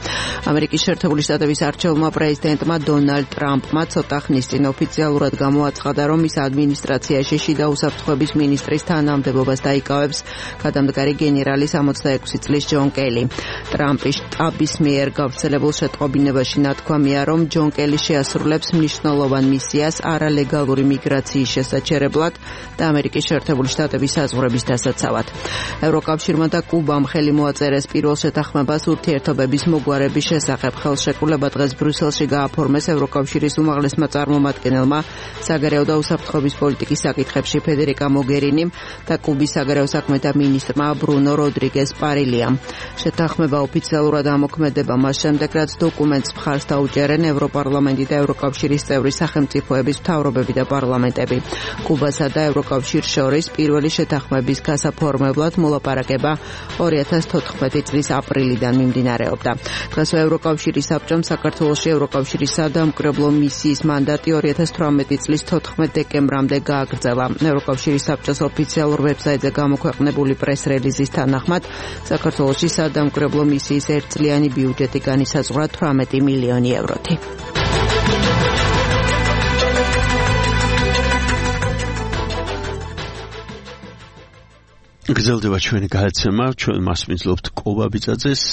ამერიკის შეერთებული შტატების არჩეულმა პრეზიდენტმა დონალდ ტრამპმა ცოტა ხნის წინ ოფიციალურად გამოაცხადა, რომ ის ადმინისტრაციაში შიდა უსაფრთხოების მინისტრის თანამდებობას დაიკავებს გადამდგარი გენერალი სამოცდაექვსი წლის ჯონ კელი. ტრამპის შტაბის მიერ გავრცელებულ შეტყობინებაში ნათქვამია, რომ ჯონ კელი შეასრულებს მნიშვნელოვან მისიას არალეგალური მიგრაციის შესაჩერებლად და ამერიკის შეერთებული შტატების საზღვრების დასაცავად. ევროკავშირმა და კუბამ ხელი მოაწერეს პირველ შეთანხმებას ურთიერთობების მოგვარების შესახებ. ხელშეკრულება დღეს ბრიუსელში გააფორმეს ევროკავშირის უმაღლესმა წარმომადგენელმა საგარეო და უსაფრთხოების პოლიტიკის საკითხებში ფედერიკა მოგერინიმ და კუბის საგარეო საქმეთა მინისტრმა ბრუნო როდრიგეს პარილიამ. შეთანხმება ოფიციალურად ამოქმედება მას შემდეგ, რაც დოკუმენტს მხარს დაუჭერენ ევროპარლამენტი და ევროკავშირის წევრი სახელმწიფოების მთავრობები და პარლამენტები. კუბასა და ევროკავშირს შორის პირველი შეთანხმების გასაფორმებლად მოლაპარაკება ორი ათას თოთხმეტი წლის აპრილიდან მიმდინარეობდა. დღეს ევროკავშირის საბჭომ საქართველოში ევროკავშირის სადამკვირვებლო მისიის მანდატი ორი ათას თვრამეტი წლის თოთხმეტ დეკემბრამდე გააგრძელა. ევროკავშირის საბჭოს ოფიციალურ ვებსაიტზე გამოქვეყნებული პრეს-რელიზის თანახმად, საქართველოში სადამკვირვებლო მისიის ერთწლიანი ბიუჯეტი განისაზღვრა თვრამეტი მილიონი ევროთი. გრძელდება ჩვენი გადაცემა, ჩვენ მასპინძლობთ კობაბიძაძეს,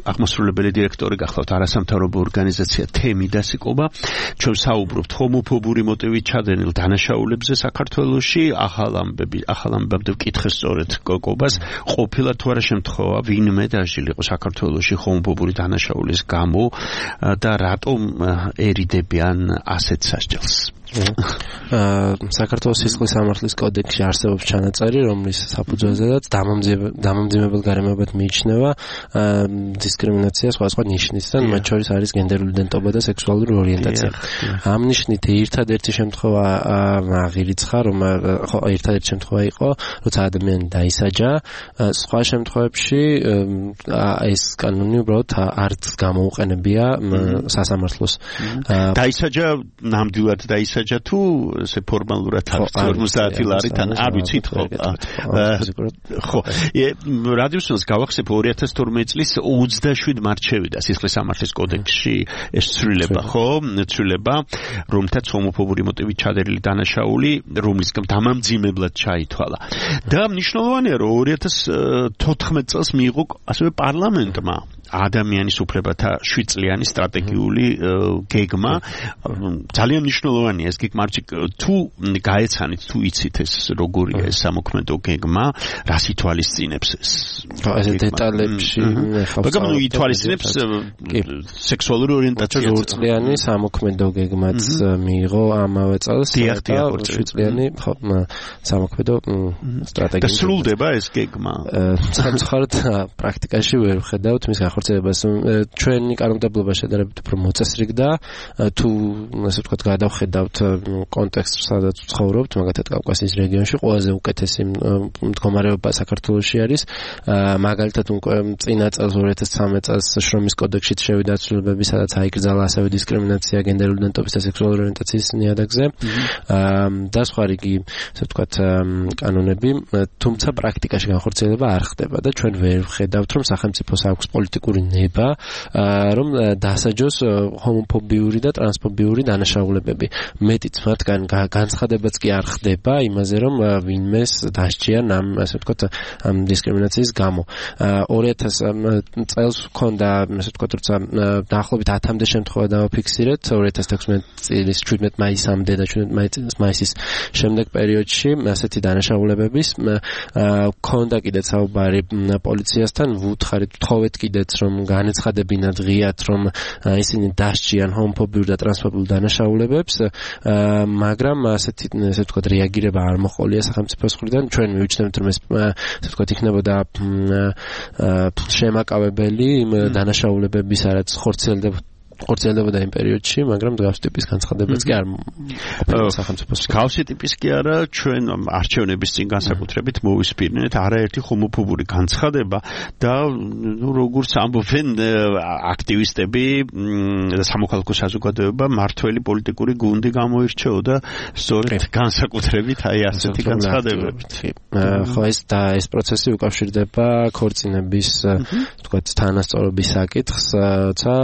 აღმასრულებელი დირექტორი გახლავთ არასამთავრობო ორგანიზაცია თემიდასი კობა. ჩვენ საუბრობთ ჰომოფობური მოტივით ჩადენილ დანაშაულებზე საქართველოში. ახალ ამბები, ახალ ამბებამდე ვკითხე სწორედ კობას, ყოფილა თუ არა შემთხვევა ვინმე დაჟილიყო საქართველოში ჰომოფობური დანაშაულის გამო და რატომ ერიდებიან ასეთ სასჯელს. საქართველოს სისხლის სამართლის კოდექსში არსებობს ჩანაწერი, რომლის საფუძველზედაც დამამძიმებელ გარემოებად მიიჩნევა დისკრიმინაცია სხვადასხვა ნიშნით და მათ შორის არის გენდერული იდენტობა და სექსუალური ორიენტაცია. ამ ნიშნით ერთადერთი შემთხვევა აღირიცხა, რომ ხო ერთადერთი შემთხვევა იყო, როცა ადამიანი დაისაჯა. სხვა შემთხვევებში ეს კანონი უბრალოდ არც გამოუყენებია სასამართლოს. დაისაჯა ნამდვილად დაისაჯა საჯა თუ ესე ფორმალურად არის ორმოცდაათი ლარიდან არ ვიცით ხო ხო რადიოსს გავახსენებ ორი ათას თორმეტი წლის ოცდაშვიდ მარტს შევიდა სისხლის სამართლის კოდექსში ეს ცვლილება ხო ცვლილება რომლითაც ჰომოფობური მოტივით ჩადენილი დანაშაული რომლის დამამძიმებლად ჩაითვალა და მნიშვნელოვანია რომ ორი ათას თოთხმეტ წელს მიიღო ასევე პარლამენტმა ადამიანის უფლებათა შვიდ წლიანი სტრატეგიული გეგმა ძალიან მნიშვნელოვანია ეს გეგმა თუ გაეცანით თუ იცით ეს როგორია ეს სამოქმედო გეგმა რას ითვალისწინებს ეს ეს დეტალებში მაგრამ ნუ ითვალისწინებს სექსუალური ორიენტაცია ორ წლიანი სამოქმედო გეგმაც მიიღო ამავე წელს და შვიდ წლიანი სამოქმედო სტრატეგია და სრულდება ეს გეგმა სამწუხაროდ პრაქტიკაში ვერ ვხედავთ მის ხორცებას ჩვენი კანონმდებლობა შედარებით უფრო მოწესრიგდა თუ ასე ვთქვათ გადავხედავთ კონტექსტს სადაც ვცხოვრობთ მაგალითად კავკასიის რეგიონში ყველაზე უკეთესი მდგომარეობა საქართველოში არის მაგალითად წინა წელს ორი ათას ცხრამეტ წელს შრომის კოდექსშიც შევიდა ცვლილებები სადაც აიკრძალა ასევე დისკრიმინაცია გენდერული იდენტობის და სექსუალური ორიენტაციის ნიადაგზე და სხვა რიგი ასე ვთქვათ კანონები თუმცა პრაქტიკაში განხორციელება არ ხდება და ჩვენ ვერ ვხედავთ რომ სახელმწიფოს აქვს პოლიტიკური ნება რომ დასაჯოს ჰომოფობიური და ტრანსფობიური დანაშაულებები. მეტიც მათგან განცხადებაც კი არ ხდება იმაზე რომ ვინმეს დასჯიან ამ ასე ვთქვათ ამ დისკრიმინაციის გამო. ორი ათას წელს ჰქონდა ასე ვთქვათ როცა დაახლოებით ათამდე შემთხვევა დავაფიქსირეთ ორი ათას თექვსმეტი წლის შვიდმეტ მაისამდე და შვიდმეტ მაისის შემდეგ პერიოდში ასეთი დანაშაულებების ჰქონდა კიდეც საუბარი პოლიციასთან ვუთხარით თხოვეთ კიდეც რომ განეცხადებინათ ღიად რომ ისინი დასჯიან ჰომოფობიურ და ტრანსფობიურ დანაშაულებებს მაგრამ ასეთი ასე ვთქვათ რეაგირება არ მოყოლია სახელმწიფოს მხრიდან ჩვენ მივიჩნევთ რომ ეს ასე ვთქვათ იქნებოდა შემაკავებელი იმ დანაშაულებების რაც ხორციელდება ხორციელდებოდა იმ პერიოდში, მაგრამ მსგავსი ტიპის განცხადებაც კი არ ყოფილა სახელმწიფოს. მსგავსი ტიპის კი არა, ჩვენ არჩევნების წინ განსაკუთრებით მოვისპირნეთ არაერთი ჰომოფობური განცხადება და ნუ როგორც ამბობენ აქტივისტები და სამოქალაქო საზოგადოება მართველი პოლიტიკური გუნდი გამოირჩეოდა სწორედ განსაკუთრებით აი ასეთი განცხადებებით. ხო ეს და ეს პროცესი უკავშირდება ქორწინების თქვათ თანასწორობის საკითხს, როცა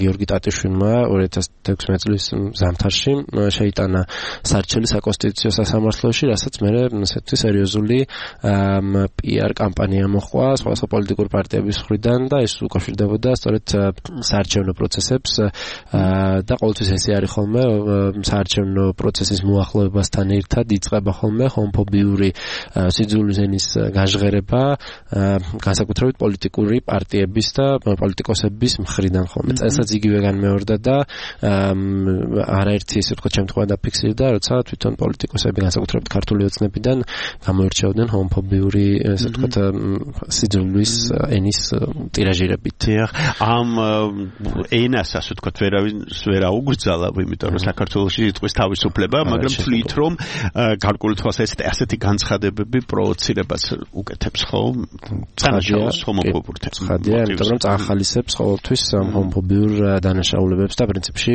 გიორგი ტატიშვილმა ორი ათას თექვსმეტი წლის ზამთარში შეიტანა სარჩელი საკონსტიტუციო სასამართლოში, რასაც მერე ესეთი სერიოზული პი-არ კამპანია მოჰყვა სხვადასხვა პოლიტიკური პარტიების მხრიდან და ეს უკავშირდებოდა სწორედ საარჩევნო პროცესებს და ყოველთვის ესე არის ხოლმე საარჩევნო პროცესის მოახლოებასთან ერთად იწყება ხოლმე ჰომოფობიური სიძულვის ენის გაჟღერება განსაკუთრებით პოლიტიკური პარტიების და პოლიტიკოსების მხრიდან ხოლმე. წელსაც იგივე განმეორდა და არაერთი ესე ვთქვათ შემთხვევა დაფიქსირდა, როცა თვითონ პოლიტიკოსები განსაკუთრებით ქართული ოცნებიდან გამოირჩეოდნენ ჰომოფობიური ესე ვთქვათ სიძულვის ენის ტირაჟირებით. ამ ენას ასე ვთქვათ ვერავინ ვერ აუგრძალა, იმიტომ რომ საქართველოში იტყვის თავისუფლება, მაგრამ თვლით რომ გარკვეული თვალსაზრისით ასეთი განცხადებები პროვოცირებას უკეთებს ხო? თანაშაულს ჰომოფობურ თემს. ხადია, იმიტომ რომ წახალისებს ყოველთვის ჰომოფობიურ დანაშაულებებს და პრინციპში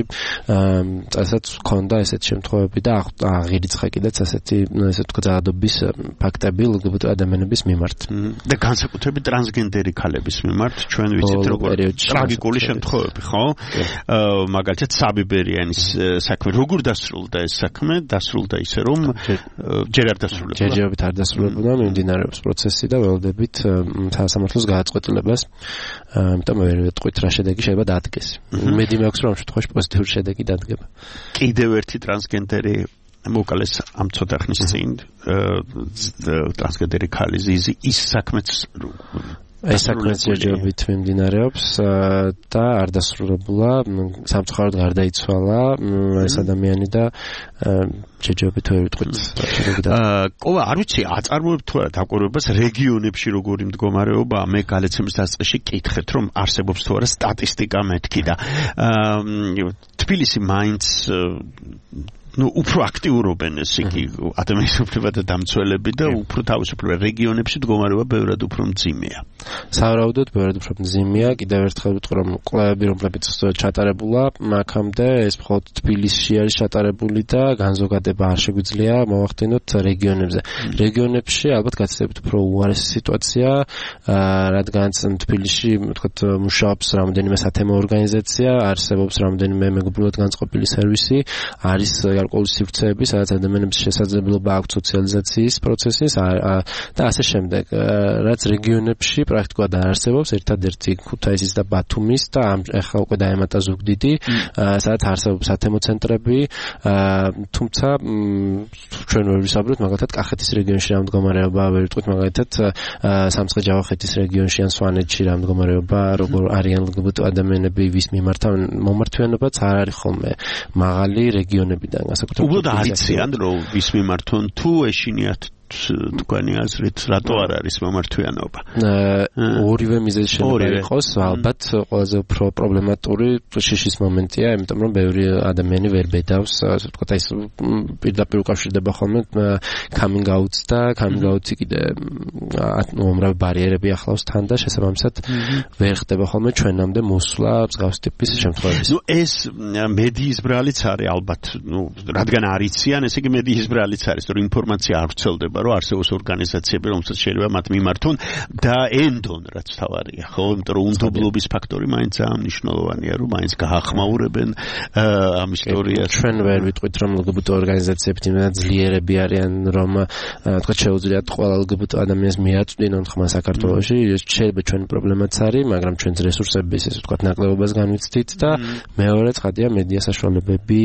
წასაც ჰქონდა ესეთ შემთხვევები და აღირიცხა კიდეც ასეთი ესე ვთქვათ ზადობის ფაქტები ლგბტ ადამიანების მიმართ. და განსაკუთრებით ტრანსგენდერი ქალების მიმართ ჩვენ ვიცით როგორ ტრაგიკული შემთხვევები ხო? მაგალითად საბიბერიანის საქმე როგორ დასრულდა ეს საქმე? დასრულდა ისე რომ ჯერ არ დასრულებულა. ჯერჯერობით არ დასრულებულა, მიმდინარეობს პროცესი და ველოდებით სასამართლოს გადაწყვეტილებას. ამიტომ ვერ ვეტყვით რა შედეგი შეიძლება დადგეს. მედი მაქვს რომ ამ შემთხვევაში პოზიტიური შედეგი დადგება. კიდევ ერთი ტრანსგენდერი მოკალეს ამ ცოტა ხნის წინ ტრანსგენდერი ქალი ზიზი ის საქმეც ეს საქმეც ჯერჯერობით მიმდინარეობს და არ დასრულებულა, სამწუხაროდ გარდაიცვალა ეს ადამიანი და ჯერჯერობით ვერ ვიტყვით. ყოლა არ ვიცი აწარმოებ თუ არა დაკვირვებას რეგიონებში როგორი მდგომარეობა, მე გალეცემის დასაწყისში კითხეთ რომ არსებობს თუ არა სტატისტიკა მეთქი და თბილისი მაინც ну უფრო აქტიურობენ ეს იგი ადამიანის უფლებათა დამცველები და უფრო თავისუფლება რეგიონებში მდგომარეობა ბევრად უფრო მძიმეა. სავარაუდოდ ბევრად უფრო მძიმეა. კიდევ ერთხელ ვიტყვი რომ კვლევები რომლებიც ჩატარებულა აქამდე ეს მხოლოდ თბილისში არის ჩატარებული და განზოგადება არ შეგვიძლია მოვახდინოთ რეგიონებზე. რეგიონებში ალბათ გაცილებით უფრო უარესი სიტუაცია, რადგანაც თბილისში ვთქვათ მუშაობს რამდენიმე სათემო ორგანიზაცია, არსებობს რამდენიმე მეგობრულად განწყობილი სერვისი, არის გარკვეული სივრცეები, სადაც ადამიანების შესაძლებლობა აქვს სოციალიზაციის პროცესის და ასე შემდეგ. რაც რეგიონებში პრაქტიკულად არ არსებობს, ერთადერთი ქუთაისის და ბათუმის და ახლა უკვე დაემატა ზუგდიდი, სადაც არსებობს სათემო ცენტრები, თუმცა ჩვენ ვერ ვისაუბრებთ მაგალითად კახეთის რეგიონში რა მდგომარეობა, ვერ ვიტყვით მაგალითად სამცხე-ჯავახეთის რეგიონში ან სვანეთში რა მდგომარეობა, როგორ არიან ლგბტ ადამიანები, ვის მიმართავენ, მომართვიანობაც არ არის ხოლმე მაღალი რეგიონებიდან. უბრალოდ არიციან რომ ვის მიმართონ თუ ეშინიათ თქვენი აზრით რატო არ არის მომართვიანობა? ორივე მიზეზი შეიძლება იყოს, ალბათ ყველაზე უფრო პრობლემატური შიშის მომენტია, იმიტომ რომ ბევრი ადამიანი ვერ ბედავს, ასე ვთქვათ, აი ეს პირდაპირ უკავშირდება ხოლმე coming out-ს და coming out-ი კიდე უამრავი ბარიერები ახლავს თან და შესაბამისად ვერ ხდება ხოლმე ჩვენამდე მოსვლა მსგავს ტიპის შემთხვევებში. ნუ ეს მედიის ბრალიც არის ალბათ, ნუ რადგან არიციან, ესე იგი მედიის ბრალიც არის, რომ ინფორმაცია არ ვრცელდება რომ არსებობს ორგანიზაციები, რომელსაც შეიძლება მათ მიმართონ და ენდონ, რაც თავარია, ხო? იმიტომ რომ უნდობლობის ფაქტორი მაინც ძალიან მნიშვნელოვანია, რომ მაინც გაახმაურებენ ამ ისტორიას. ჩვენ ვერ ვიტყვით რომ ლგბტ ორგანიზაციები იმდენად ძლიერები არიან, რომ თქვა შეუძლიათ ყველა ლგბტ ადამიანს მიაწვდინონ ხმა საქართველოში. შეიძლება ჩვენი პრობლემაც არის, მაგრამ ჩვენს რესურსების ესე ვთქვათ ნაკლებობას განვიცდით და მეორე ცხადია მედია საშუალებები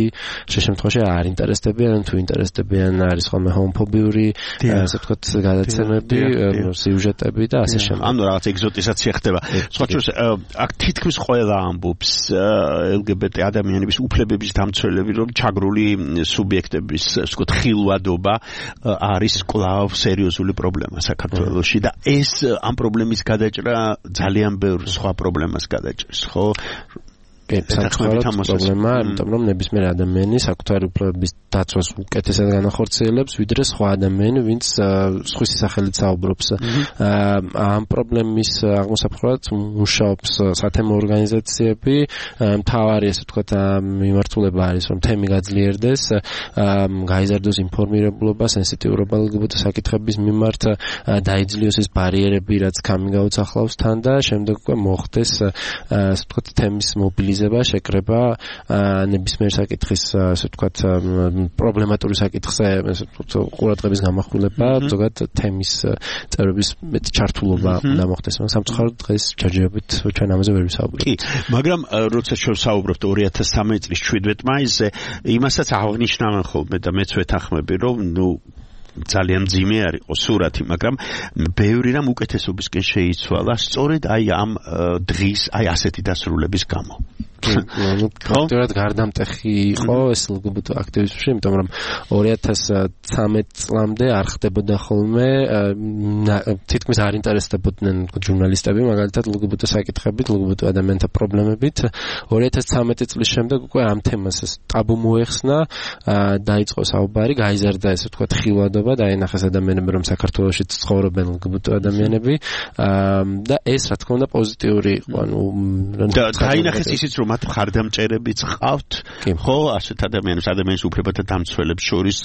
შემთხვევაში არ ინტერესდებიან, თუ ინტერესდებიან არის ხოლმე ჰომოფობიური ასე ვთქვათ გადაცემები, სიუჟეტები და ასე შემდეგ. ანუ რაღაც ეგზოტიზაცია ხდება. სხვა შორის აქ თითქმის ყველა ამბობს ელგბტ ადამიანების უფლებების დამცველები, რომ ჩაგრული სუბიექტების, ასე ვთქვათ, ხილვადობა არის კვლავ სერიოზული პრობლემა საქართველოში და ეს ამ პრობლემის გადაჭრა ძალიან ბევრ სხვა პრობლემას გადაჭრს, ხო? სამწუხაროდ პრობლემაა, იმიტომ რომ ნებისმიერ ადამიანი საკუთარი უფლებების დაცვას უკეთესად განახორციელებს, ვიდრე სხვა ადამიანი, ვინც სხვის სახელით საუბრობს. ამ პრობლემის აღმოსაფხვრად მუშაობს სათემო ორგანიზაციები, მთავარი ესე ვთქვათ მიმართულება არის, რომ თემი გაძლიერდეს, გაიზარდოს ინფორმირებულობა, სენსიტიურობა ელ გი ბი ტი საკითხების მიმართ, დაიძლიოს ეს ბარიერები, რაც coming out ახლავს თან და შემდეგ უკვე მოხდეს ასე ვთქვათ თემის მობილიზება, შეკრება ნებისმიერ საკითხის ასე ვთქვათ პრობლემატური საკითხზე ასე ვთქვათ ყურადღების გამახვილება, ზოგადად თემის წერების მეტ ჩართულობა უნდა მოხდეს. სამწუხაროდ დღეს ჯერჯერობით ჩვენ ამაზე ვერ ვისაუბრებთ. კი, მაგრამ როცა ჩვენ საუბრობთ ორი ათას ცხრამეტი წლის შვიდ მაისზე, იმასაც აღნიშნავენ ხოლმე და მეც ვეთანხმები, რომ ნუ ძალიან მძიმე არის ყო სურათი, მაგრამ ბევრი რამ უკეთესობისკენ შეიცვალა სწორედ აი ამ დღის აი ასეთი დასრულების გამო. ну, ფაქტობრივად გარდამტეხი იყო ეს ელ გი ბი ტი აქტივისტებში, იმიტომ რომ ორი ათას ცხრამეტი წლამდე არ ხდებოდა ხოლმე, თითქმის არ ინტერესდებოდნენ ჟურნალისტები, მაგალითად ელ გი ბი ტი საკითხებით, ელ გი ბი ტი ადამიანთა პრობლემებით. ორი ათას ცხრამეტი წლის შემდეგ უკვე ამ თემას ეს ტაბუ მოეხსნა, დაიწყო საუბარი, გაიზარდა ესე ვთქვათ ხილვადობა, დაინახეს ადამიანები, რომ საქართველოში ცხოვრობენ ელ გი ბი ტი ადამიანები და ეს რა თქმა უნდა პოზიტიური იყო, ანუ დაინახეს ისიც რომ მათ მხარდამჭერებიც ყავთ, ხო, ასეთ ადამიანებს, ადამიანის უფლებათა დამცველებს შორის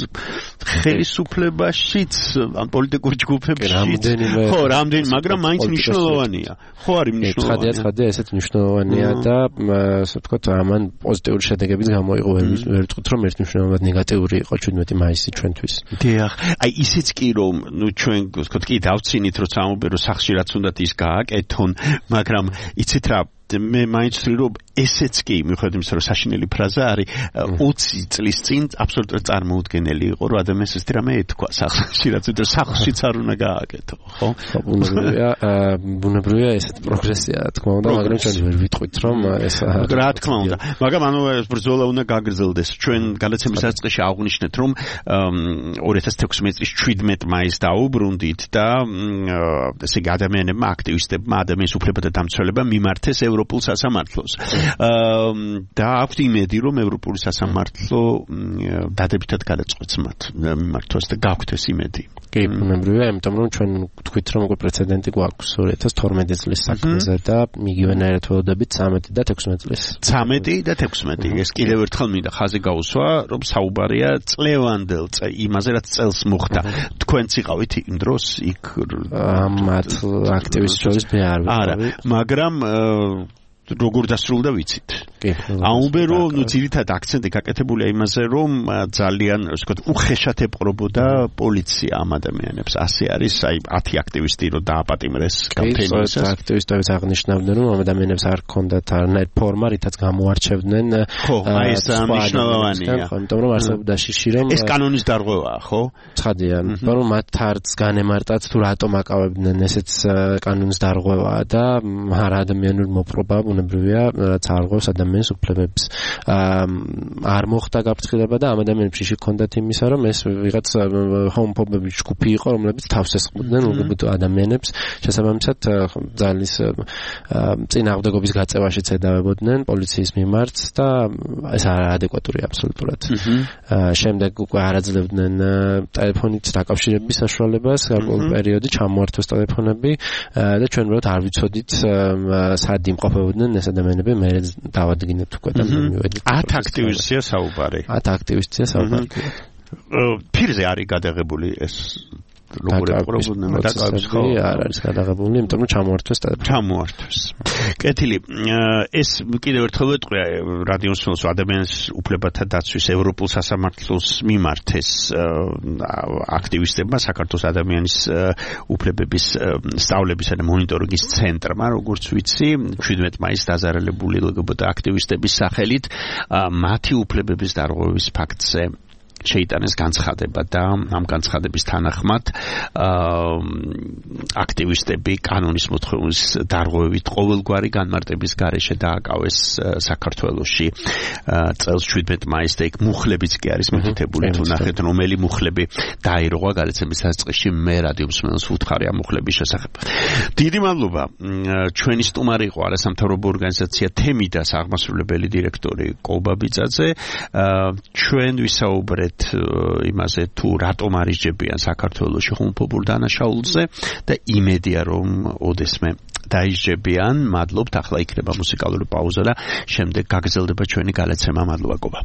ხელისუფლებაშიც, ან პოლიტიკურ ჯგუფებშიც, ხო, რამდენი, მაგრამ მაინც მნიშვნელოვანია. ხო, არის მნიშვნელოვანია. ცხადია, ცხადია, ესეც მნიშვნელოვანია და ასე ვთქვათ, ამან პოზიტიური შედეგებიც გამოიღო, ვერ ვიტყვით, რომ ერთ მნიშვნელოვნად ნეგატიური იყო შვიდმეტი მაისი ჩვენთვის. დიახ, აი ისიც კი რომ, ნუ ჩვენ ვთქვათ, კი დავცინით, როცა ამობერო სახში რაც უნდათ ის გააკეთონ, მაგრამ იცით რა მე მაინც ვთვლი რომ ესეც კი მიუხედავად იმისა რომ საშინელი ფრაზა არის ოცი წლის წინ აბსოლუტურად წარმოუდგენელი იყო რომ ადამიანს ეს რამე ეთქვა სახლში რაც ვიდრე სახლშიც არ უნდა გააკეთო ხო ბუნებრივია ბუნებრივია ესეთ პროგრესია რა თქმა უნდა მაგრამ ჩვენ ვერ ვიტყვით რომ ეს რა თქმა უნდა მაგრამ ანუ ეს ბრძოლა უნდა გაგრძელდეს ჩვენ გადაცემის დასაწყისში აღვნიშნეთ რომ ორი ათას თექვსმეტი წლის შვიდმეტი მაისს დაუბრუნდით და ესე იგი ადამიანებმა აქტივისტებმა ადამიანის უფლებათა დამცველებმა მიმართეს ევროპულ სასამართლოს. და აქვთ იმედი, რომ ევროპული სასამართლო დადებითად გადაწყვეტს მათ მიმართოს და გაქვთ ეს იმედი. კი, ბუნებრივია, იმიტომ რომ ჩვენ ვთქვით, რომ უკვე პრეცედენტი გვაქვს ორი ათას თორმეტი წლის საქმეზე და მიგივენაირად ველოდებით ცხრამეტი და თექვსმეტი წლის. ცხრამეტი და თექვსმეტი. ეს კიდევ ერთხელ მინდა ხაზი გაუსვა, რომ საუბარია წლევანდელ იმაზე, რაც წელს მოხდა. თქვენც იყავით იმ დროს იქ ამათ აქტივისტ შორის მე არ ვიყავი. არა, მაგრამ როგორ დასრულდა ვიცით. აუმბერო, ნუ ძირითადად აქცენტი გაკეთებულია იმაზე, რომ ძალიან, ასე ვთქვათ, უხეშად ეპყრობოდა პოლიცია ამ ადამიანებს. ასე არის, აი ათი აქტივისტი რო დააპატიმრეს კამპანიას. აქტივისტებიც აღნიშნავდნენ, რომ ამ ადამიანებს არ ჰქონდათ არანაირ ფორმა, რითაც გამოარჩევდნენ. ხო, აი ეს მნიშვნელოვანია. იმიტომ რომ არსებობდა შიში, რომ ეს კანონის დარღვევაა, ხო? ცხადია, რომ მათ არც განემარტათ თუ რატომ აკავებდნენ ესეც კანონის დარღვევაა და არა ადამიანური მოპყრობა ბუნებრივია, რაც არ ღვევს ადამიანის უფლებებს. არ მოხდა გაფრთხილება და ამ ადამიანებში შექონდათ იმისა, რომ ეს ვიღაც ჰომოფობების ჯგუფი იყო, რომლებიც თავს ესხმოდნენ ელ გი ბი ტი ადამიანებს, შესაბამისად ძალის წინააღმდეგობის გაწევაშიც ედავებოდნენ პოლიციის მიმართ და ეს არაადეკვატურია აბსოლუტურად. შემდეგ უკვე არაძლევდნენ ტელეფონით დაკავშირების საშუალებას, გარკვეულ პერიოდი ჩამოართვეს ტელეფონები და ჩვენ უბრალოდ არ ვიცოდით სად იმყოფებოდნენ ეს ადამიანები, მე დავადგინეთ უკვე და მივედით. ათ აქტივისტია საუბარი. ათ აქტივისტია საუბარი. ფირზე არის გადაღებული ეს როგორ ეპყრობოდნენ დაკავებს ხო? არ არის გადაღებული, იმიტომ რომ ჩამოართვეს ტელეფონი. ჩამოართვეს. კეთილი, ეს კიდევ ერთხელ ვეტყვი რადიოს მსმენელს ადამიანის უფლებათა დაცვის ევროპულ სასამართლოს მიმართეს აქტივისტებმა საქართველოს ადამიანის უფლებების სწავლებისა და მონიტორინგის ცენტრმა, როგორც ვიცი, შვიდმეტი მაისს დაზარალებული ელ გი ბი ტი აქტივისტების სახელით მათი უფლებების დარღვევის ფაქტზე შეიტანეს განცხადება და ამ განცხადების თანახმად აქტივისტები კანონის მოთხოვნის დარღვევით ყოველგვარი განმარტების გარეშე დააკავეს საქართველოში წელს შვიდმეტ მაისს და იქ მუხლებიც კი არის მითითებული თუ ნახეთ რომელი მუხლები დაირღვა გადაცემის დასაწყისში მე რადიო მსმენელს ვუთხარი ამ მუხლების შესახებ. დიდი მადლობა. ჩვენი სტუმარი იყო არასამთავრობო ორგანიზაცია თემიდას აღმასრულებელი დირექტორი კოლბაბიძაძე. ჩვენ ვისაუბრეთ იმაზე თუ რატომ არის ჯებიან საქართველოში ხუმფობურ დანაშაულზე და იმედია რომ ოდესმე დაიჯებიან. მადლობთ. ახლა იქნება მუსიკალური პაუზა და შემდეგ გაგრძელდება ჩვენი გადაცემა. მადლობა კობა.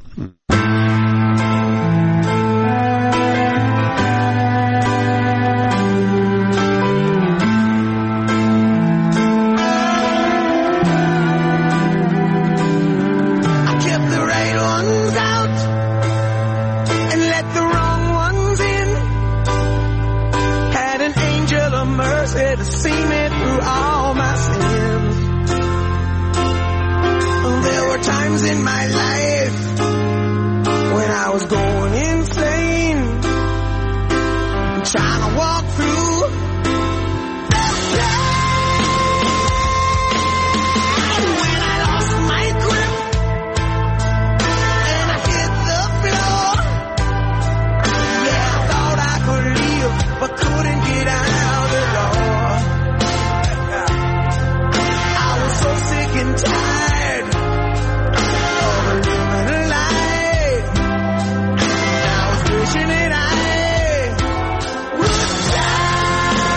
In my life when I was going insane, trying to walk through the pain when I lost my grip and I hit the floor. Yeah, I thought I could leave but couldn't get out the door. I was so sick and tired wishing that I would die.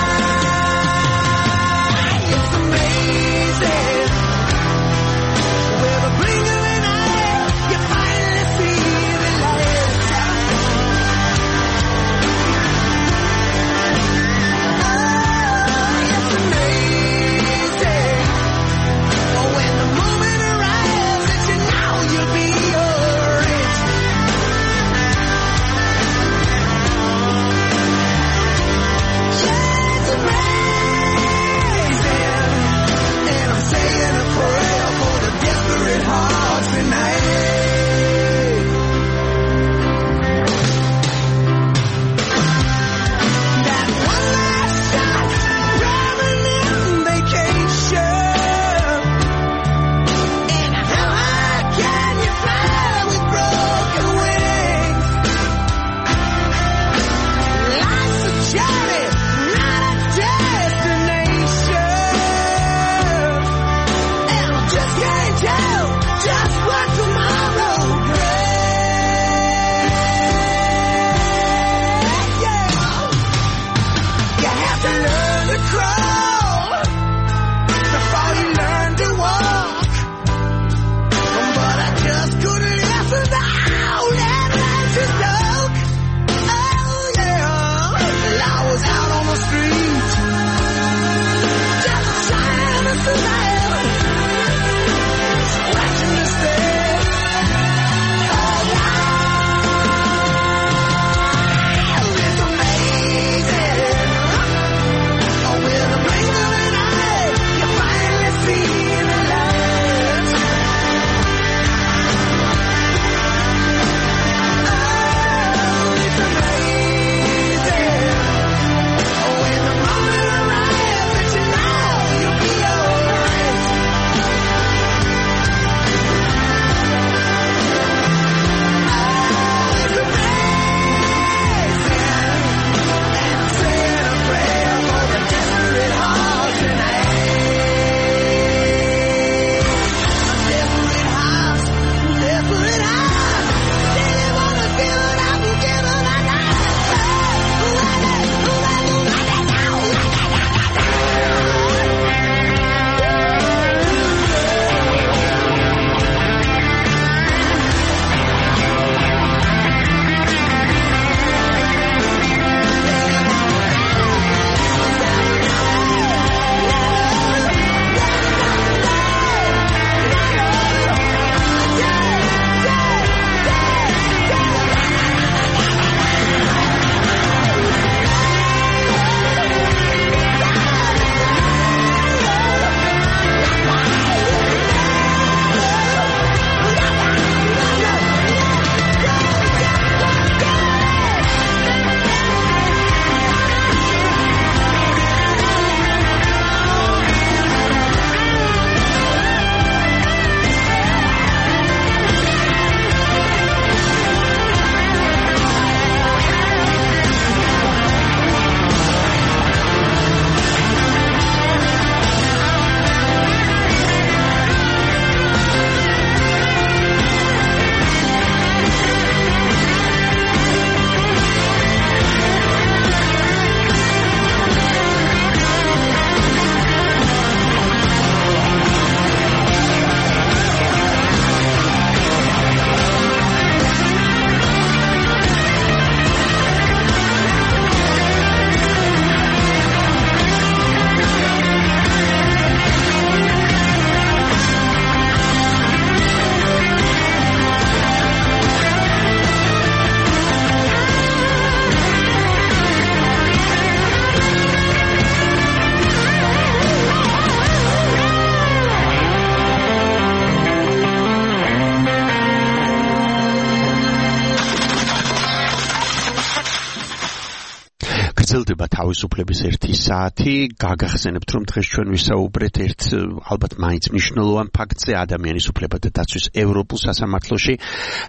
გრძელდება თავისუფლების ერთი საათი. გაგახსენებთ, რომ დღეს ჩვენ ვისაუბრეთ ერთ ალბათ მაინც მნიშვნელოვან ფაქტზე, ადამიანის უფლებათა დაცვის ევროპულ სასამართლოში.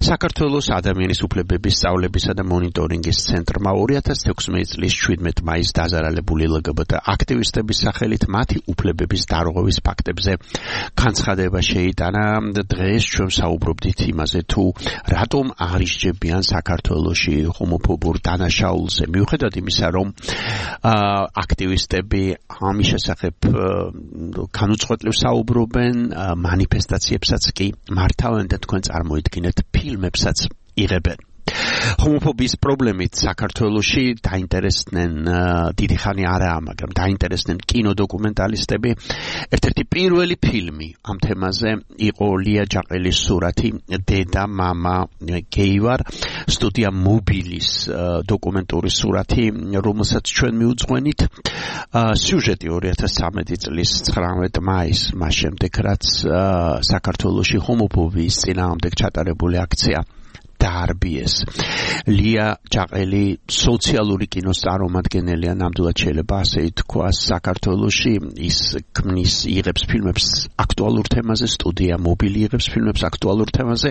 საქართველოს ადამიანის უფლებების სწავლებისა და მონიტორინგის ცენტრმა ორი ათას ექვსმეტი წლის შვიდმეტი მაისს დაზარალებული ელ გი ბი ტი აქტივისტების სახელით მათი უფლებების დარღვევის ფაქტებზე განცხადება შეიტანა. დღეს ჩვენ საუბრობდით იმაზე, თუ რატომ არ ისჯებიან საქართველოში ჰომოფობურ დანაშაულზე, მიუხედავად იმისა, რომ აქტივისტები ამის შესახებ განუწყვეტლივ საუბრობენ, მანიფესტაციებსაც კი მართავენ და თქვენ წარმოიდგინეთ, ფილმებსაც იღებენ. ჰომოფობიის პრობლემით საქართველოში დაინტერესდნენ დიდი ხანი არაა, მაგრამ დაინტერესდნენ კინოდოკუმენტალისტები. ერთ-ერთი პირველი ფილმი ამ თემაზე იყო ლია ჯაყელის სურათი დედა მამა გეი ვარ, სტუდია მობილის დოკუმენტური სურათი, რომელსაც ჩვენ მიუძღვენით. სიუჟეტი ორი ათას ცხრამეტი წლის ცხრამეტი მაისს, მას შემდეგ რაც საქართველოში ჰომოფობიის წინააღმდეგ ჩატარებული აქცია დაარბიეს. ლია ჯაყელი სოციალური კინოს წარმომადგენელია, ნამდვილად შეიძლება ასე ითქვას. საქართველოში ის ქმნის, იღებს ფილმებს აქტუალურ თემაზე, სტუდია მობილი იღებს ფილმებს აქტუალურ თემაზე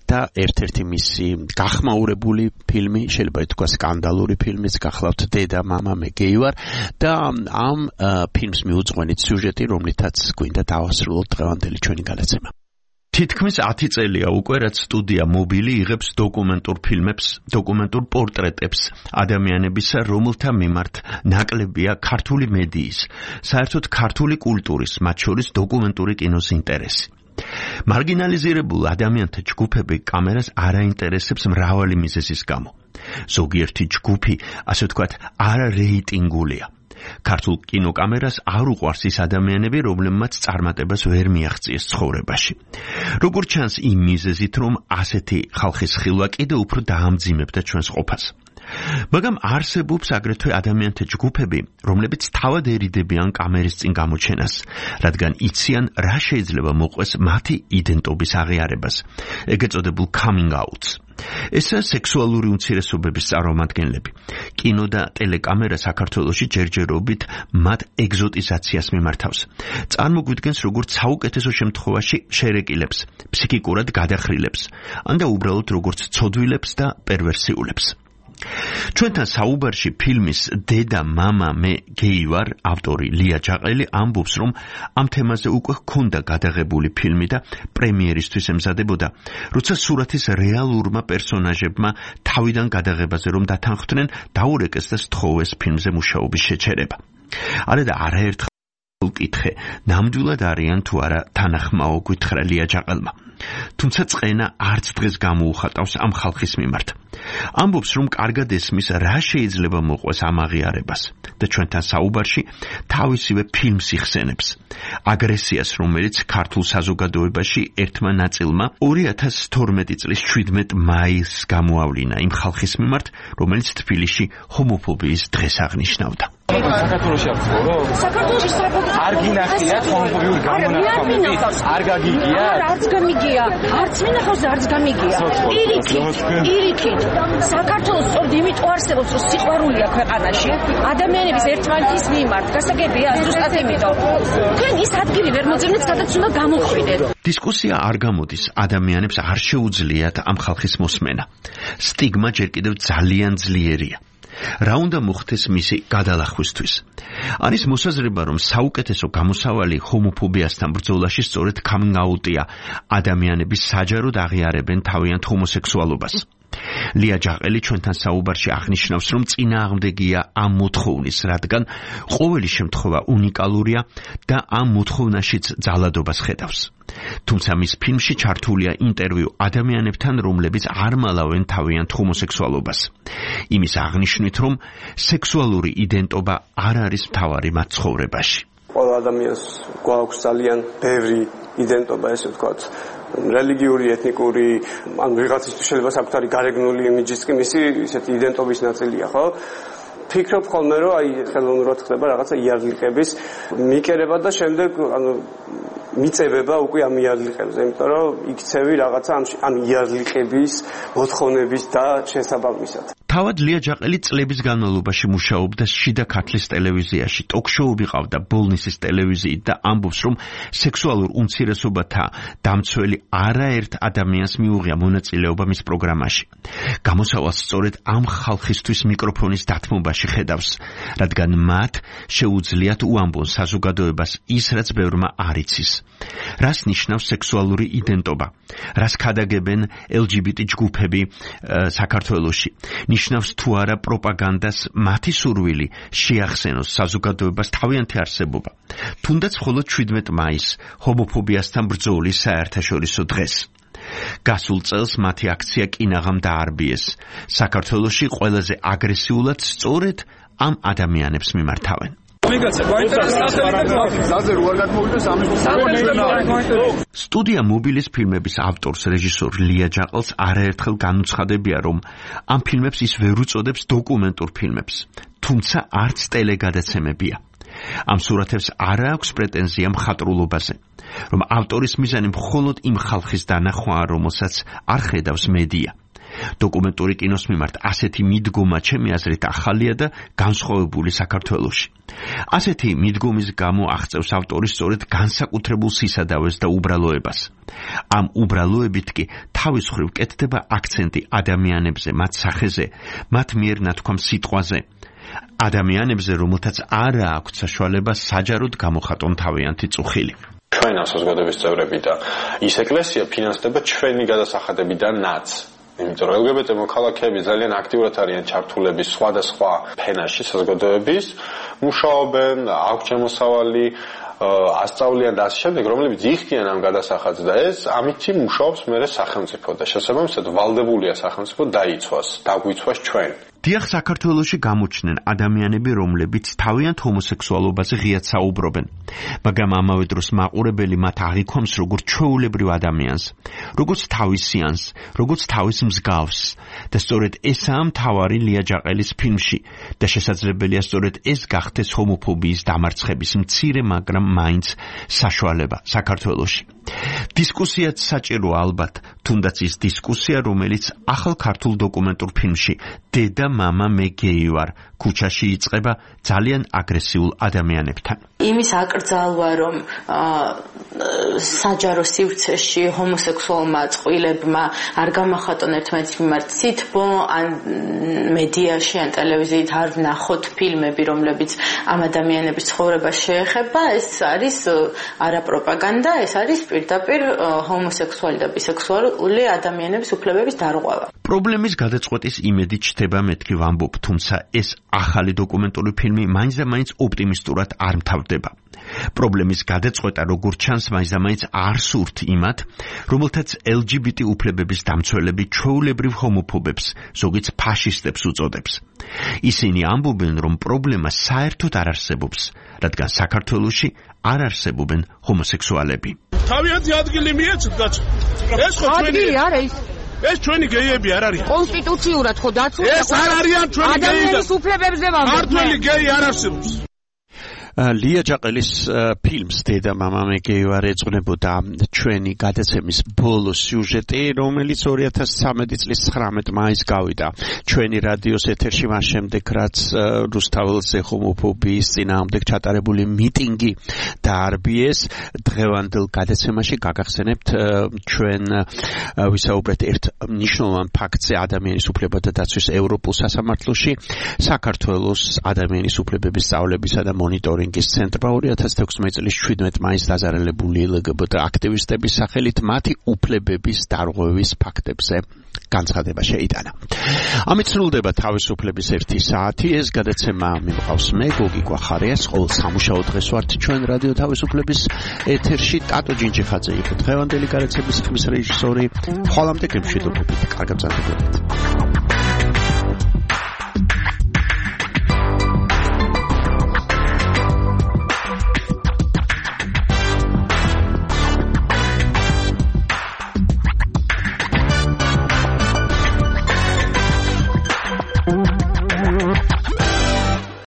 და ერთ-ერთი მისი გახმაურებული ფილმი, შეიძლება ითქვას სკანდალური ფილმიც გახლავთ დედა მამა მე გეი ვარ და ამ ფილმს მიუძღვენით სიუჟეტი, რომლითაც გვინდა დავასრულოთ დღევანდელი ჩვენი გადაცემა. თითქმის ათი წელია უკვე, რაც სტუდია მობილი იღებს დოკუმენტურ ფილმებს, დოკუმენტურ პორტრეტებს ადამიანებისა, რომელთა მიმართ ნაკლებია ქართული მედიის, საერთოდ ქართული კულტურის, მათ შორის დოკუმენტური კინოს ინტერესი. მარგინალიზირებულ ადამიანთა ჯგუფები კამერას არ აინტერესებს მრავალი მიზეზის გამო. ზოგიერთი ჯგუფი, ასე ვთქვათ, არარეიტინგულია. ქართულ კინოკამერას არ უყვარს ის ადამიანები, რომლებმაც წარმატებას ვერ მიაღწიეს ცხოვრებაში. როგორც ჩანს, იმ მიზეზით, რომ ასეთი ხალხის ხილვა კიდევ უფრო დაამძიმებდა ჩვენს ყოფას. მაგრამ არსებობს აგრეთვე ადამიანთა ჯგუფები, რომლებიც თავად ერიდებიან კამერის წინ გამოჩენას, რადგან იციან, რა შეიძლება მოყვეს მათი იდენტობის აღიარებას, ეგ ეწოდებულ coming outs. ესაა სექსუალური უმცირესობების წარმომადგენლები. კინო და ტელეკამერა საქართველოში ჯერჯერობით მათ ეგზოტიზაციას მიმართავს. წარმოგვიდგენს, როგორც საუკეთესო შემთხვევაში შერეკილებს, ფსიქიკურად გადახრილებს, ან და უბრალოდ როგორც ცოდვილებს და პერვერსიულებს. ჩვენთან საუბარში ფილმის დედა მამა მე გეი ვარ ავტორი ლია ჯაყელი ამბობს, რომ ამ თემაზე უკვე ჰქონდა გადაღებული ფილმი და პრემიერისთვის ემზადებოდა, როცა სურათის რეალურმა პერსონაჟებმა თავიდან გადაღებაზე რომ დათანხმდნენ, დაურეკეს და სთხოვეს ფილმზე მუშაობის შეჩერება. არა და არაერთხელ კითხე, ნამდვილად არიან თუ არა თანახმაო, გითხრა ლია ჯაყელმა. თუმცა წყენა არც დღეს გამოუხატავს ამ ხალხის მიმართ. ამბობს, რომ კარგად ესმის, რა შეიძლება მოყვეს ამ აღიარებას და ჩვენთან საუბარში თავისივე ფილმს იხსენებს. აგრესიას, რომელიც ქართულ საზოგადოებაში ერთმა ნაწილმა ორი ათას თორმეტი წლის შვიდმეტი მაისს გამოავლინა იმ ხალხის მიმართ, რომელიც თბილისში ჰომოფობიის დღეს აღნიშნავდა. საქართველოში არ ცხოვრო? საქართველოში სწრაფად არ გინახიათ ჰომოფობიური გამონათქვამები? არ გაგიგია? არც გამიგია, არც მინახავს და არც გამიგია. პირიქით, პირიქით. საქართველოს სწორედ იმიტომ არსებობს, რომ სიყვარულია ქვეყანაში, ადამიანების ერთმანეთის მიმართ, გასაგებია, ზუსტად იმიტომ. თქვენ ის ადგილი ვერ მოძებნეთ, სადაც უნდა გამოხვიდეთ. დისკუსია არ გამოდის, ადამიანებს არ შეუძლიათ ამ ხალხის მოსმენა. სტიგმა ჯერ კიდევ ძალიან ძლიერია. რა უნდა მოხდეს მისი გადალახვისთვის? არის მოსაზრება, რომ საუკეთესო გამოსავალი ჰომოფობიასთან ბრძოლაში სწორედ coming out-ია. ადამიანები საჯაროდ აღიარებენ თავიანთ ჰომოსექსუალობას. ლია ჯაყელი ჩვენთან საუბარში აღნიშნავს, რომ წინააღმდეგია ამ მოთხოვნის, რადგან ყოველი შემთხვევა უნიკალურია და ამ მოთხოვნაშიც ძალადობას ხედავს. თუმცა მის ფილმში ჩართულია ინტერვიუ ადამიანებთან, რომლებიც არ მალავენ თავიანთ ჰომოსექსუალობას. იმის აღნიშვნით, რომ სექსუალური იდენტობა არ არის მთავარი მათ ცხოვრებაში. ყველა ადამიანს გვაქვს ძალიან ბევრი იდენტობა, ესე ვთქვათ, რელიგიური, ეთნიკური, ან ვიღაცისთვის შეიძლება საკუთარი გარეგნული იმიჯიც კი მისი ისეთი იდენტობის ნაწილია, ხო? ფიქრობ ხოლმე, რომ აი ხელოვნურად ხდება რაღაცა იარლიყების მიკერება და შემდეგ ანუ მიწებება უკვე ამ იარლიყებზე, იმიტომ რომ იქცევი რაღაცა ამ იარლიყების მოთხოვნების და შესაბამისად. თავად ლია ჯაყელი წლების განმავლობაში მუშაობდა შიდა ქართლის ტელევიზიაში, ტოქ-შოუები ყავდა ბოლნისის ტელევიზიით და ამბობს, რომ სექსუალურ უმცირესობათა დამცველი არაერთ ადამიანს მიუღია მონაწილეობა მის პროგრამაში. გამოსავალს სწორედ ამ ხალხისთვის მიკროფონის დათმობაში ხედავს, რადგან მათ შეუძლიათ უამბონ საზოგადოებას ის, რაც ბევრმა არ იცის. რას ნიშნავს სექსუალური იდენტობა? რას ქადაგებენ ელ ჯი ბი ტი ჯგუფები საქართველოში? ნიშნავს თუ არა პროპაგანდას მათი სურვილი შეახსენოს საზოგადოებას თავიანთი არსებობა. თუნდაც მხოლოდ შვიდმეტ მაისს ჰომოფობიასთან ბრძოლის საერთაშორისო დღეს. გასულ წელს მათი აქცია კინაღამ დაარბიეს. საქართველოში ყველაზე აგრესიულად სწორედ ამ ადამიანებს მიმართავენ. სტუდია მობილის ფილმების ავტორს რეჟისორ ლია ჯაყელს არაერთხელ განუცხადებია, რომ ამ ფილმებს ის ვერ უწოდებს დოკუმენტურ ფილმებს, თუმცა არც ტელეგადაცემებია. ამ სურათებს არ აქვს პრეტენზია მხატვრულობაზე, რომ ავტორის მიზანი მხოლოდ იმ ხალხის დანახვაა, რომელსაც არ ხედავს მედია. დოკუმენტური კინოს მიმართ ასეთი მიდგომა ჩემი აზრით ახალია და განსხვავებული საქართველოში. ასეთი მიდგომის გამო აღწევს ავტორი სწორედ განსაკუთრებულ სისადავეს და უბრალოებას. ამ უბრალოებით კი თავის მხრივ კეთდება აქცენტი ადამიანებზე, მათ სახეზე, მათ მიერ ნათქვამ სიტყვაზე. ადამიანებზე, რომელთაც არ აქვთ საშუალება საჯაროდ გამოხატონ თავიანთი წუხილი. ჩვენ საზოგადოების წევრები და ის ეკლესია ფინანსდება ჩვენი გადასახადებიდანაც. იმიტომ რომ ელ გი ბი ტი მოქალაქეები ძალიან აქტიურად არიან ჩართულები სხვადასხვა ფენაში საზოგადოების, მუშაობენ, აქვს შემოსავალი, ასწავლიან და ასე შემდეგ, რომლებიც იხდიან ამ გადასახადს და ეს ამითი მუშაობს მერე სახელმწიფო და შესაბამისად ვალდებულია სახელმწიფო დაიცვას, დაგვიცვას ჩვენ. დიახ, საქართველოში გამოჩნდნენ ადამიანები, რომლებიც თავიანთ ჰომოსექსუალობაზე ღიად საუბრობენ, მაგრამ ამავე დროს მაყურებელი მათ აღიქვამს როგორც ჩვეულებრივ ადამიანს, როგორც თავისიანს, როგორც თავის მსგავს და სწორედ ესაა მთავარი ლია ჯაყელის ფილმში და შესაძლებელია სწორედ ეს გახდეს ჰომოფობიის დამარცხების მცირე, მაგრამ მაინც საშუალება საქართველოში. დისკუსიაც საჭიროა ალბათ, თუნდაც ის დისკუსია, რომელიც ახალ ქართულ დოკუმენტურ ფილმში დედა მამა მე გეი ვარ ქუჩაში იწყება ძალიან აგრესიულ ადამიანებთან. იმის აკრძალვა, რომ საჯარო სივრცეში ჰომოსექსუალმა წყვილებმა არ გამახატონ ერთმანეთის მიმართ სითბო, ან მედიაში, ან ტელევიზიით არ ვნახოთ ფილმები, რომლებიც ამ ადამიანების ცხოვრებას შეეხება, ეს არის არა პროპაგანდა, ეს არის პირდაპირ ჰომოსექსუალი და ბისექსუალური ადამიანების უფლებების დარღვევა. პრობლემის გადაწყვეტის იმედი ჩდება მეთქი ვამბობ, თუმცა ეს ახალი დოკუმენტური ფილმი მაინც და მაინც ოპტიმისტურად არ მთავრდება. პრობლემის გადაწყვეტა როგორც ჩანს მაინც და მაინც არ სურთ იმათ, რომელთაც ელ ჯი ბი ტი უფლებების დამცველები ჩვეულებრივ ჰომოფობებს, ზოგიც ფაშისტებს უწოდებს. ისინი ამბობენ, რომ პრობლემა საერთოდ არ არსებობს, რადგან საქართველოში არ არსებობენ ჰომოსექსუალები. თავიანთი ადგილი მიეცეთ კაცო. ეს ხო ჩვენი ადგილი არა ის. ეს ჩვენი გეიები არ არიან. კონსტიტუციურად ხო დაცული. ეს არ არიან ჩვენი გეიები. ადამიანის უფლებებზე ვამბობ. ქართველი გეი არ არსებობს. ლია ჯაყელის ფილმს დედა მამა მე გეი ვარ ეძღვნებოდა ჩვენი გადაცემის ბოლო სიუჟეტი, რომელიც ორი ათას ცხრამეტი წლის ცხრამეტ მაისს გავიდა ჩვენი რადიოს ეთერში, მას შემდეგ რაც რუსთაველზე ჰომოფობიის წინააღმდეგ ჩატარებული მიტინგი დაარბიეს. დღევანდელ გადაცემაში გაგახსენებთ ჩვენ ვისაუბრეთ ერთ მნიშვნელოვან ფაქტზე ადამიანის უფლებათა დაცვის ევროპულ სასამართლოში, საქართველოს ადამიანის უფლებების სწავლებისა და მონიტორინგის ცენტრმა ორი ათას თექვსმეტი წლის შვიდმეტ მაისს დაზარალებული ელ გი ბი ტი აქტივისტების სახელით მათი უფლებების დარღვევის ფაქტებზე განცხადება შეიტანა. ამით სრულდება თავისუფლების ერთი საათი. ეს გადაცემა მიმყავს მე, გოგი გვახარიას, ყოველ სამუშაო დღეს ვართ ჩვენ რადიო თავისუფლების ეთერში. ტატო ჯინჯიხაძე იყო დღევანდელი გადაცემის ხმის რეჟისორი. ხოლამდე გემშვიდობებით, კარგად მზადდებოდეთ.